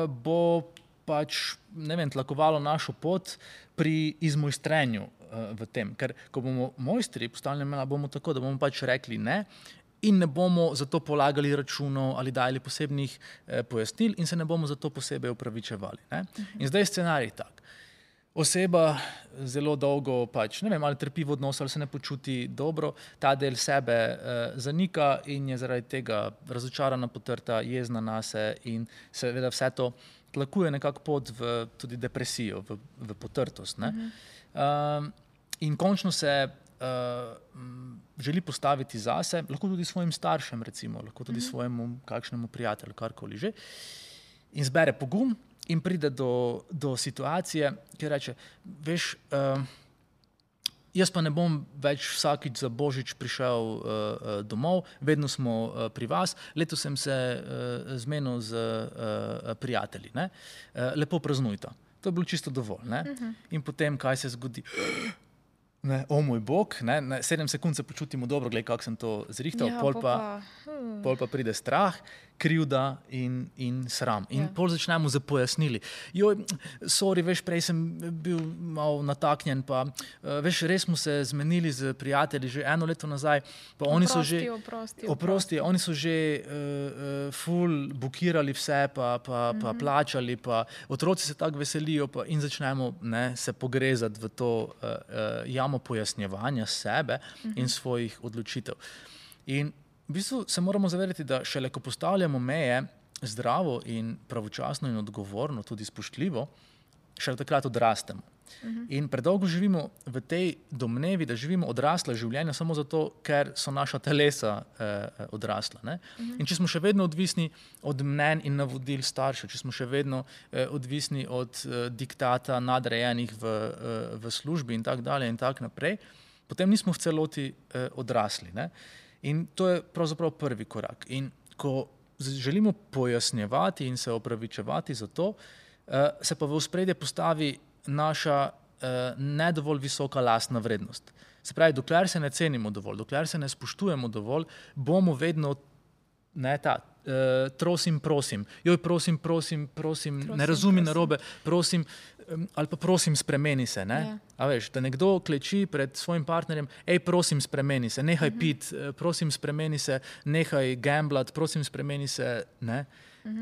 bo pač, ne vem, tlakovalo našo pot pri izmojstrenju v tem. Ker ko bomo mojstri postavljanja meja, bomo tako, da bomo pač rekli ne in ne bomo zato polagali računov ali dali posebnih pojasnil in se ne bomo zato posebej opravičevali, ne? In zdaj je scenarij tak. Oseba zelo dolgo pač, ne vem, ali trpi v odnosu, ali se ne počuti dobro, ta del sebe zanika in je zaradi tega razočarana, potrta, jezna nase in seveda vse to tlakuje nekako pot v tudi depresijo, v potrtost, ne? In končno se želi postaviti zase, lahko tudi svojim staršem recimo, lahko tudi svojemu kakšnemu prijatelju, karkoli že, in zbere pogum in pride do situacije, ki reče, veš, jaz pa ne bom več vsakič za Božič prišel domov, vedno smo pri vas, letos sem se zmenil z prijatelji, ne? Lepo praznujta. To je bilo čisto dovolj, ne? In potem, kaj se zgodi? Ne, o moj bog, ne, 7 sekund se počutimo dobro, glej, kako sem to zrihtal, pol pa pride strah, krivda in sram. In pol začnemo z pojasnili. Joj, sorry, veš, prej sem bil malo nataknjen, pa veš, res smo se zmenili z prijatelji že 1 leto nazaj, pa oni so že oprosti, oni so že ful bukirali vse, pa plačali, pa otroci se tako veselijo, pa in začnemo, ne, se pogrezati v to jamo pojasnjevanja sebe in svojih odločitev. In v bistvu se moramo zavedati, da šele ko postavljamo meje zdravo in pravočasno in odgovorno, tudi spoštljivo, šele takrat odrastemo. In predolgo živimo v tej domnevi, da živimo odrasla življenja samo zato, ker so naša telesa odrasla, ne? In če smo še vedno odvisni od mnenj in navodil staršev, če smo še vedno odvisni od diktata nadrejenih v službi in tako dalje in tako naprej, potem nismo v celoti odrasli, ne? In to je pravzaprav prvi korak. In ko želimo pojasnjevati in se opravičevati za to, se pa v ospredje postavi naša ne dovolj visoka lastna vrednost. Se pravi, dokler se ne cenimo dovolj, dokler se ne spoštujemo dovolj, bomo vedno trosim, prosim. Joj, prosim, ne razumi narobe, prosim, ali pa prosim, spremeni se, ne? A veš, da nekdo kleči pred svojim partnerjem, prosim, spremeni se, nehaj pit, prosim, spremeni se, nehaj gamblat, prosim, spremeni se, ne?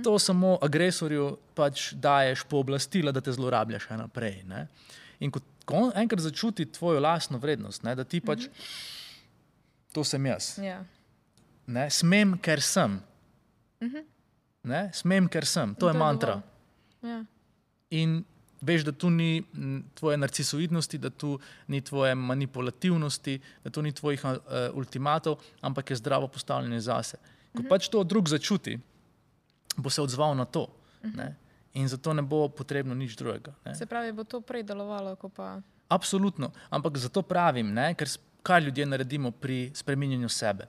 To samo agresorju pač daješ pooblastila, da te zlorablja še naprej, ne? In ko on enkrat začuti tvojo lastno vrednost, ne, da ti pač, to sem jaz, ne, smem, ker sem, ne, smem, ker sem, to je mantra. In veš, da tu ni tvoje narcisoidnosti, da tu ni tvoje manipulativnosti, da tu ni tvojih ultimatov, ampak je zdravo postavljanje zase. Ko pač to drug začuti, bo se odzval na to, ne? In zato ne bo potrebno nič drugega, ne? Se pravi, bo to prej delovalo, ko pa... Absolutno, ampak zato pravim, ne, ker kaj ljudje naredimo pri spreminjanju sebe.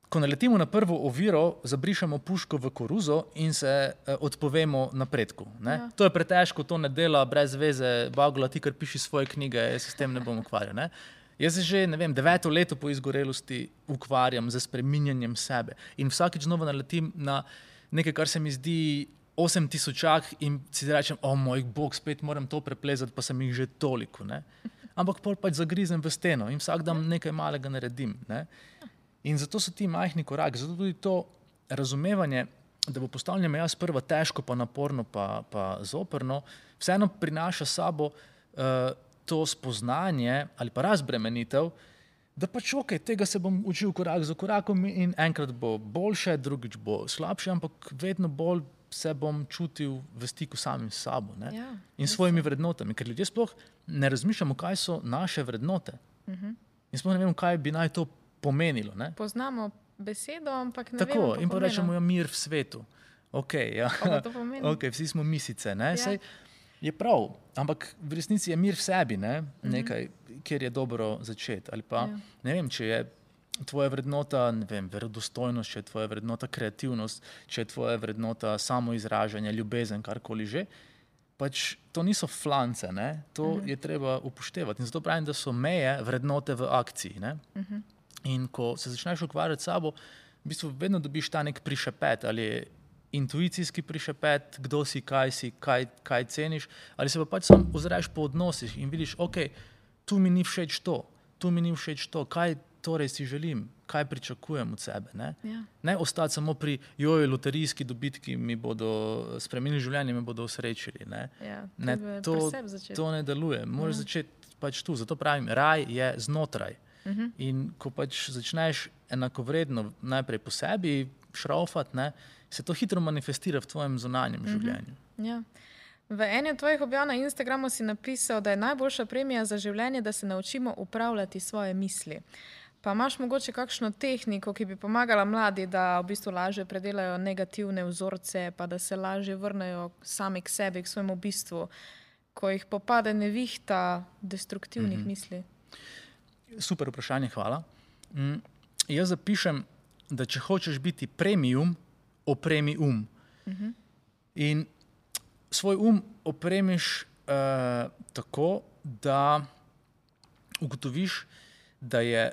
Ko naletimo na prvo oviro, zabrišemo puško v koruzo in se odpovemo napredku, ne? To je pretežko, to ne dela brez veze, Bagola, ti kar piši svoje knjige, jaz se s tem ne bom ukvarjal, ne? Jaz se že, ne vem, 9. leto po izgorelosti ukvarjam z spreminjanjem sebe in vsakič znova naletim na nekaj, kar se mi zdi 8000 in si rečem, o moj bog, spet moram to preplezati, pa sem jih že toliko, ne? Ampak pol pač zagrizem v steno in vsak dan nekaj malega naredim, ne? In zato so ti majhni koraki, zato tudi to razumevanje, da bo postavljanje meja sprva težko, pa naporno, pa zoprno, vseeno prinaša sabo to spoznanje ali pa razbremenitev, da pač okej, tega se bom učil korak za korakom in enkrat bo boljše, drugič bo slabše, ampak vedno bolj se bom čutil v stiku samim s sabo, ne? In svojimi vrednotami, ker ljudje sploh ne razmišljamo, kaj so naše vrednote. In sploh ne vemo, kaj bi naj to pomenilo, ne? Poznamo besedo, ampak ne tako, vemo pa in pa pomena. rečemo, ja, mir v svetu. Okay, ja. Kaj pa to pomeni? Okay, vsi smo misice. Ne? Ja. Sej, je prav, ampak v resnici je mir v sebi, ne? Nekaj, kjer je dobro začeti. Ali pa, ne vem, če je tvoja vrednota, ne vem, verodostojnost, če je tvoja vrednota kreativnost, če je tvoja vrednota samoizražanje, ljubezen, karkoli že, pač to niso flance, ne? To je treba upoštevati. In zato pravim, da so meje vrednote v akciji. Ne? In ko se začneš ukvarjati s sabo, v bistvu vedno dobiš ta nek prišepet, ali je intuicijski prišepet, kdo si, kaj ceniš, ali se pa pač sam ozreš po odnosih in vidiš, ok, tu mi ni všeč to, kaj torej si želim, kaj pričakujem od sebe. Ne, ne ostati samo pri jojo, loterijski dobitki mi bodo spremenili življenje, me bodo osrečili. Ne, to ne deluje. Moraš začeti pač tu. Zato pravim, raj je znotraj. In ko pač začneš enakovredno najprej po sebi šraufati, ne, se to hitro manifestira v tvojem zunanjem življenju. Ja. V eni od tvojih objav na Instagramu si napisal, da je najboljša premija za življenje, da se naučimo upravljati svoje misli. Pa imaš mogoče kakšno tehniko, ki bi pomagala mladi, da v bistvu lažje predelajo negativne vzorce, pa da se lažje vrnejo sami k sebi, k svojemu bistvu, ko jih popade nevihta destruktivnih misli? Super vprašanje, hvala. Jaz zapišem, da če hočeš biti premium, opremi In svoj opremiš tako, da ugotoviš, da je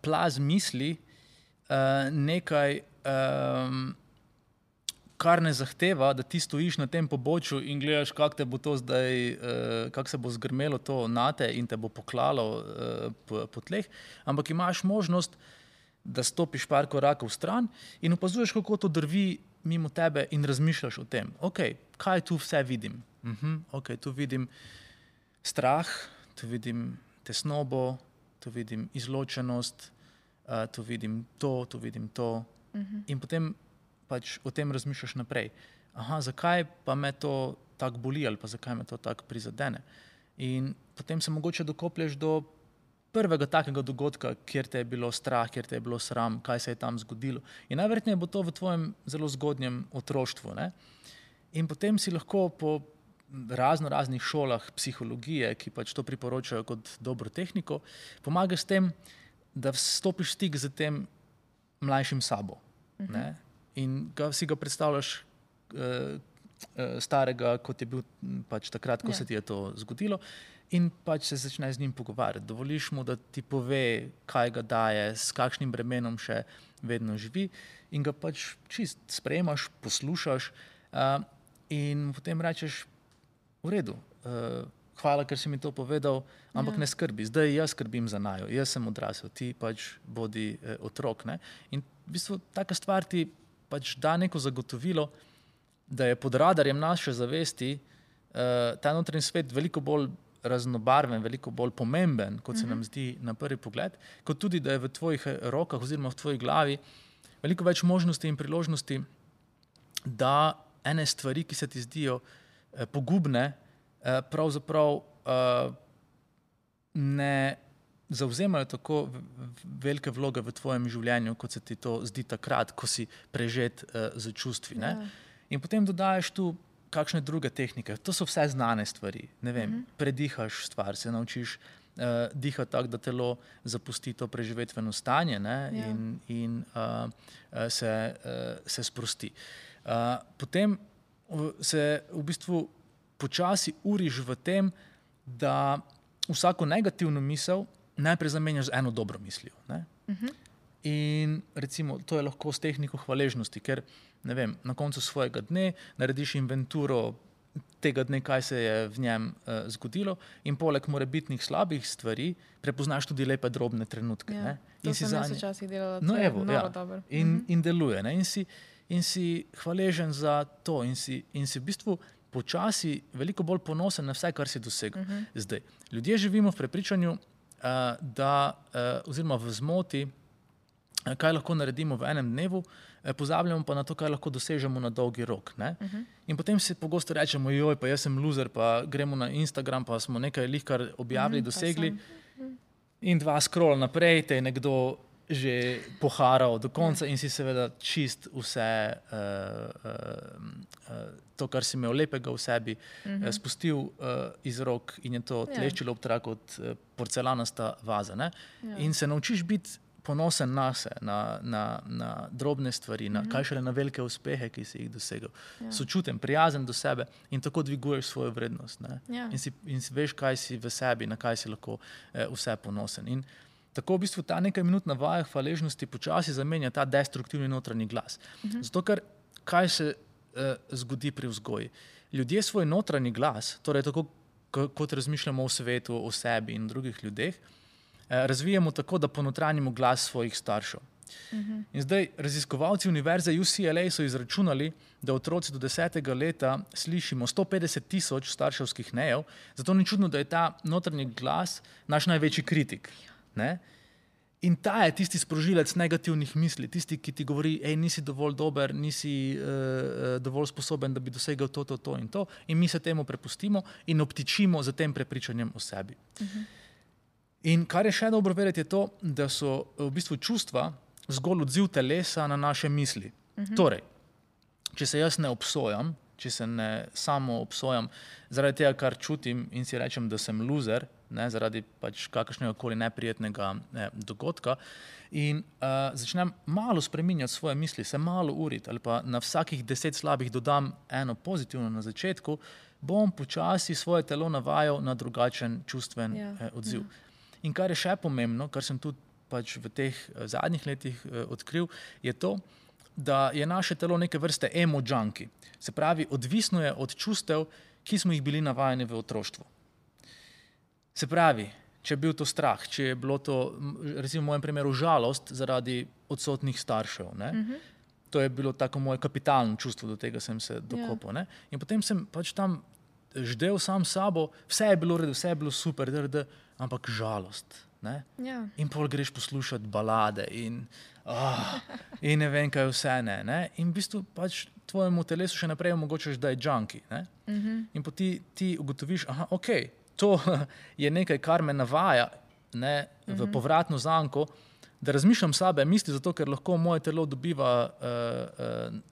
plaz misli nekaj, kar ne zahteva, da ti stojiš na tem pobočju in gledaš, kako te bo to zdaj, kako se bo zgrmelo to nate in te bo poklalo po tleh, ampak imaš možnost, da stopiš par korakov stran in opazuješ, kako to drvi mimo tebe in razmišljaš o tem. Ok, kaj tu vse vidim? Ok, tu vidim strah, tu vidim tesnobo, tu vidim izločenost, tu vidim to. In potem pač o tem razmišljaš naprej. Aha, zakaj pa me to tako boli ali pa zakaj me to tako prizadene? In potem se mogoče dokoplješ do prvega takega dogodka, kjer te je bilo strah, kjer te je bilo sram, kaj se je tam zgodilo. In najverjetneje bo to v tvojem zelo zgodnjem otroštvu. Ne? In potem si lahko po raznih šolah psihologije, ki pač to priporočajo kot dobro tehniko, pomagaš s tem, da stopiš stik z tem mlajšim sabo. Ne? In si ga predstavljaš starega, kot je bil pač takrat, ko se ti je to zgodilo, in pač se začne z njim pogovarjati. Dovoliš mu, da ti pove, kaj ga daje, s kakšnim bremenom še vedno živi in ga pač čist sprejemaš, poslušaš in potem rečeš, v redu, hvala, ker si mi to povedal, ampak ne skrbi, zdaj jaz skrbim za naju, jaz sem odrasel, ti pač bodi otrok. Ne? In v bistvu taka stvar ti pač da neko zagotovilo, da je pod radarjem naše zavesti ta notranji svet veliko bolj raznobarven, veliko bolj pomemben, kot se nam zdi na prvi pogled, kot tudi, da je v tvojih rokah oziroma v tvoji glavi veliko več možnosti in priložnosti, da ene stvari, ki se ti zdijo pogubne, pravzaprav ne zavzemajo tako velike vloge v tvojem življenju, kot se ti to zdi takrat, ko si prežet z čustvi. Ne? In potem dodajaš tu kakšne druge tehnike. To so vse znane stvari. Ne vem, predihaš stvar, se naučiš dihati tako, da telo zapusti to preživetveno stanje, ne? In se sprosti. Potem se v bistvu počasi uriš v tem, da vsako negativno misel najprej zamenjaš z eno dobro mislijo. Ne? In recimo, to je lahko s tehniko hvaležnosti, ker ne vem, na koncu svojega dne narediš inventuro tega dne, kaj se je v njem zgodilo in poleg morebitnih slabih stvari prepoznaš tudi lepe drobne trenutke. Ja, ne? To sem jaz včasih delala, no, je noro dobro. In deluje. Ne? In si hvaležen za to in si v bistvu počasi veliko bolj ponosen na vse, kar si dosegel. Zdaj, ljudje živimo v prepričanju, oziroma v zmoti, kaj lahko naredimo v enem dnevu, pozabljamo pa na to, kaj lahko dosežemo na dolgi rok. Ne? In potem si pogosto rečemo, joj, pa jaz sem loser, pa gremo na Instagram, pa smo nekaj lihkar objavili, dosegli in 2 scroll naprej, te je nekdo že poharal do konca in si seveda čist vse to, kar si imel lepega v sebi, spustil iz rok in je to tleščilo ob trak kot porcelanasta vaza. Ne? In se naučiš biti ponosen na se, na drobne stvari, kaj šele na velike uspehe, ki si jih dosegel. Sočuten, prijazen do sebe in tako dviguješ svojo vrednost. Ne? In si veš, kaj si v sebi, na kaj si lahko vse ponosen. In tako v bistvu ta nekaj minut na vajah hvaležnosti počasi zamenja ta destruktivni notranji glas. Zato, ker kaj se zgodi pri vzgoji? Ljudje svoj notranji glas, torej tako kot razmišljamo o svetu, o sebi in drugih ljudeh, razvijamo tako, da ponotranjimo glas svojih staršev. In zdaj raziskovalci univerze UCLA so izračunali, da otroci do 10. leta slišimo 150,000 starševskih nejev, zato ni čudno, da je ta notranji glas naš največji kritik. Ne? In ta je tisti sprožilec negativnih misli, tisti, ki ti govori, nisi dovolj dober, nisi dovolj sposoben, da bi dosegel to in to. In mi se temu prepustimo in obtičimo za tem prepričanjem o sebi. In kar je še dobro vedeti, je to, da so v bistvu čustva zgolj odziv telesa na naše misli. Torej, če se jaz ne obsojam, če se ne samo obsojam zaradi tega, kar čutim in si rečem, da sem loser, ne, zaradi pač kakršnega koli neprijetnega dogodka in začnem malo spreminjati svoje misli, se malo uriti ali pa na vsakih 10 slabih dodam eno pozitivno na začetku, bom počasi svoje telo navajal na drugačen čustven odziv. In kar je še pomembno, kar sem tudi pač v teh zadnjih letih odkril, je to, da je naše telo neke vrste emo junkie. Se pravi, odvisno je od čustev, ki smo jih bili navajeni v otroštvu. Se pravi, če je bil to strah, če je bilo to, recimo v mojem primeru, žalost zaradi odsotnih staršev. Ne? To je bilo tako moje kapitalno čustvo, do tega sem se dokopal. Ne? In potem sem pač tam ždel sam sabo, vse je bilo redo, vse je bilo super, ampak žalost. Ne? In pol greš poslušati balade in ne vem, kaj vse ne. In v bistvu pač tvojemu telesu še naprej omogočaš, da je junkie. Ne? In potem ti ugotoviš, to je nekaj, kar me navaja v povratno zanko, da razmišljam slabe misli, zato ker lahko moje telo dobiva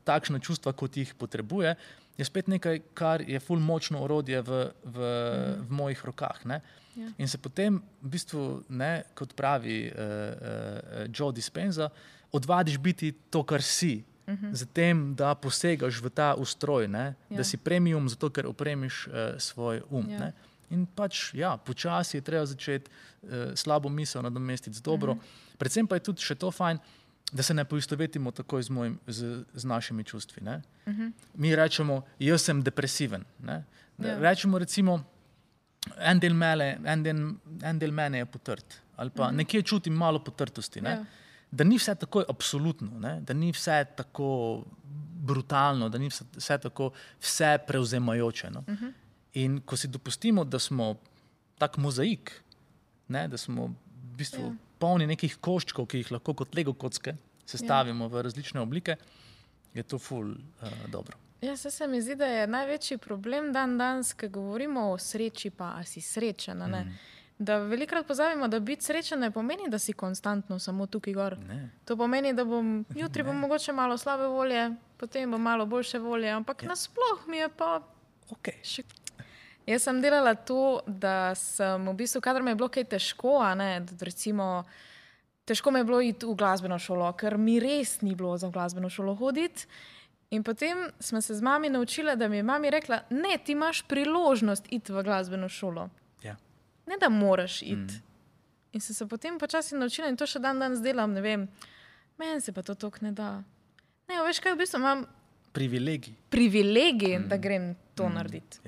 takšna čustva, kot jih potrebuje, je spet nekaj, kar je ful močno orodje v mojih rokah. Ne? In se potem, v bistvu, kot pravi Joe Dispenza, odvadiš biti to, kar si, zatem, da posegaš v ta ustroj, da si premium, zato ker opremiš svoj Ne? In pač, počasi je treba začeti slabo misel nadomestiti z dobro. Predvsem pa je tudi še to fajn, da se ne poistovetimo takoj z našimi čustvi. Ne? Mi rečemo, jaz sem depresiven. Ne? Rečemo recimo, en del mene je potrt. Ali pa nekje čutim malo potrtosti. Ne? Da ni vse tako absolutno, ne? Da ni vse tako brutalno, da ni vse tako vse prevzemajoče. No? In ko si dopustimo, da smo tak mozaik, da smo v bistvu polni nekih koščkov, ki jih lahko kot Lego kocke sestavimo v različne oblike, je to ful dobro. Se mi zdi, da je največji problem danes, ko govorimo o sreči, pa a si srečen. Da velikokrat pozabimo, da biti srečen ne pomeni, da si konstantno samo tukaj gor. To pomeni, da jutri bom mogoče malo slabe volje, potem bom malo boljše volje, ampak nasploh mi je pa še. Jaz sem delala to, da sem v bistvu, kadar mi je bilo kaj težko, recimo, težko mi je bilo iti v glasbeno šolo, ker mi res ni bilo za glasbeno šolo hoditi. In potem smo se z mami naučila, da mi je mami rekla, ne, ti imaš priložnost iti v glasbeno šolo. Ne, da moraš iti. In sem se potem počasi naučila in to še danes delam, ne vem, meni se pa to toliko ne da. Ne, veš kaj, v bistvu imam privilegij, da grem to narediti.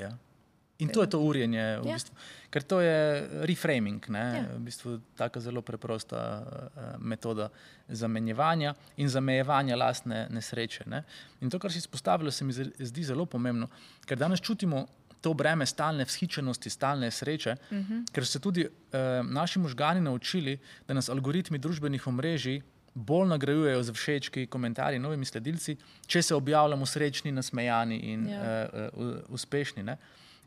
In to je to urjenje, v bistvu, ker to je reframing, v bistvu taka zelo preprosta metoda zamenjevanja in zamejevanja lastne nesreče. Ne? In to, kar si izpostavila, se mi zdi zelo pomembno, ker danes čutimo to breme stalne vzhičenosti, stalne sreče, ker so se tudi naši možgani naučili, da nas algoritmi družbenih omrežij bolj nagrajujejo z všečki, komentarji, novimi sledilci, če se objavljamo srečni, nasmejani in uspešni. Ne?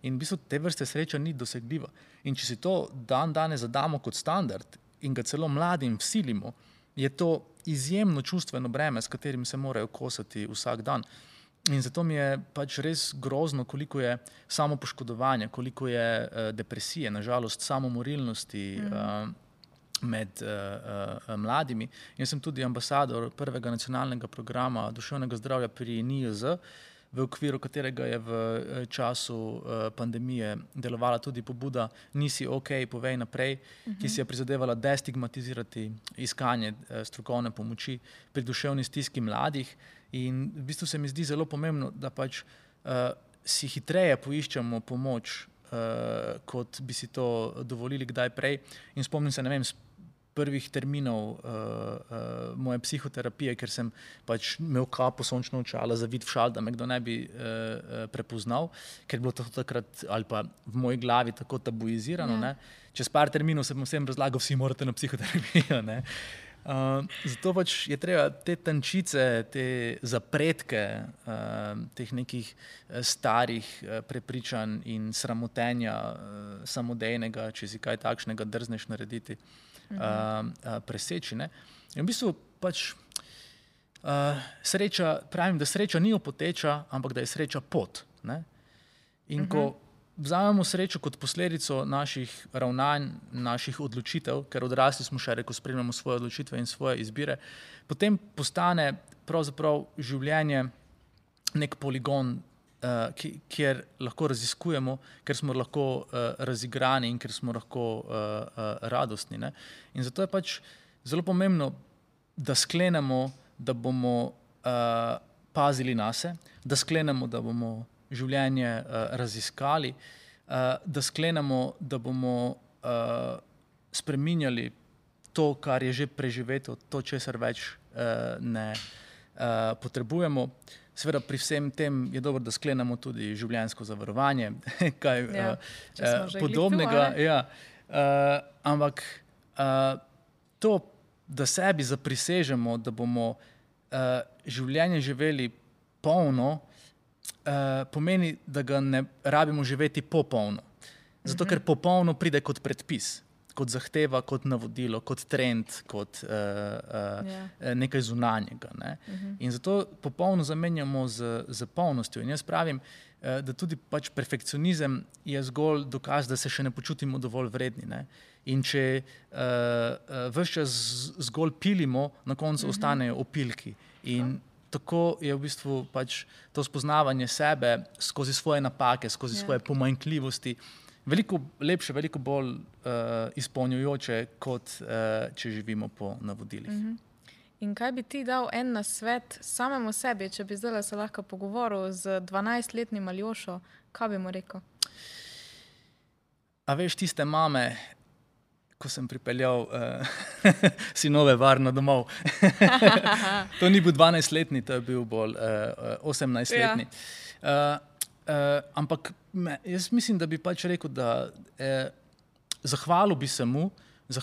In v bistvu te vrste sreča ni dosegljiva. In če si to danes zadamo kot standard in ga celo mladim vsilimo, je to izjemno čustveno breme, s katerim se morajo kosati vsak dan. In zato mi je pač res grozno, koliko je samopoškodovanja, koliko je depresije, nažalost samomorilnosti med mladimi. Jaz sem tudi ambasador prvega nacionalnega programa duševnega zdravja pri NIJZ, v okviru katerega je v času pandemije delovala tudi pobuda Nisi ok, povej naprej, ki si je prizadevala destigmatizirati iskanje strokovne pomoči pri duševni stiski mladih. In v bistvu se mi zdi zelo pomembno, da pač si hitreje poiščemo pomoč, kot bi si to dovolili kdaj prej. In spomnim se, ne vem, prvih terminov moje psihoterapije, ker sem pač imel kapo, sončno očala, zavid v šal, da me kdo ne bi prepoznal, ker je bilo to takrat ali pa v moji glavi tako tabuizirano. Ne. Čez par terminov sem vsem razlagal, vsi morate na psihoterapijo. Ne. Zato pač je treba te tančice, te zapretke teh nekih starih prepričanj in sramotenja samodejnega, če si kaj takšnega drzneš narediti, preseči. Ne? In v bistvu pač sreča, pravim, da sreča ni opoteča, ampak da je sreča pot. Ne? In ko vzamemo srečo kot posledico naših ravnanj, naših odločitev, ker odrasli smo še, ko spremljamo svoje odločitve in svoje izbire, potem postane pravzaprav življenje nek poligon, kjer lahko raziskujemo, ker smo lahko razigrani in ker smo lahko radostni. Ne? In zato je pač zelo pomembno, da sklenemo, da bomo pazili nase, da sklenemo, da bomo življenje raziskali, da sklenemo, da bomo spreminjali to, kar je že preživeto, to, česar več ne potrebujemo. Seveda pri vsem tem je dobro, da sklenemo tudi življenjsko zavarovanje, kaj podobnega. Ampak to, da sebi zaprisežemo, da bomo življenje živeli polno, pomeni, da ga ne rabimo živeti popolno. Zato, ker popolno pride kot predpis, kot zahteva, kot navodilo, kot trend, kot nekaj zunanjega. Ne? In zato popolno zamenjamo z polnostjo. In jaz pravim, da tudi pač perfekcionizem je zgolj dokaz, da se še ne počutimo dovolj vredni. Ne? In če ves čas zgolj pilimo, na koncu ostanejo opilki. In tako je v bistvu pač to spoznavanje sebe skozi svoje napake, skozi svoje pomanjkljivosti veliko lepše, veliko bolj izpolnjujoče, kot če živimo po navodilih. In kaj bi ti dal en nasvet samemu sebi, če bi zdaj se lahko pogovoril z 12-letnim Aljošo, kaj bi mu rekel? A veš, tiste mame, ko sem pripeljal sinove varno domov. To ni bil 12-letni, to je bil bolj 18-letni. Ampak jaz mislim, da bi pač rekel, da zahvalil bi se mu za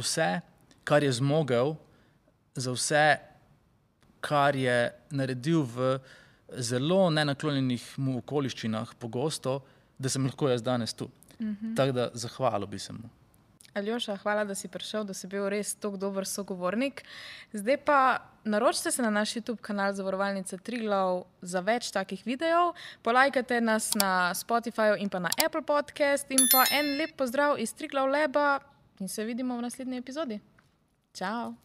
vse, kar je zmogel, za vse, kar je naredil v zelo nenaklonjenih mu okoliščinah pogosto, da sem lahko jaz danes tu. Tako da zahvalil bi se mu. Aljoša, hvala, da si prišel, da si bil res tako dober sogovornik. Zdaj pa naročite se na naš YouTube kanal Zavarovalnice Triglav za več takih videov. Polajkajte nas na Spotifyju in pa na Apple Podcast in pa en lep pozdrav iz Triglav Laba in se vidimo v naslednji epizodi. Čau!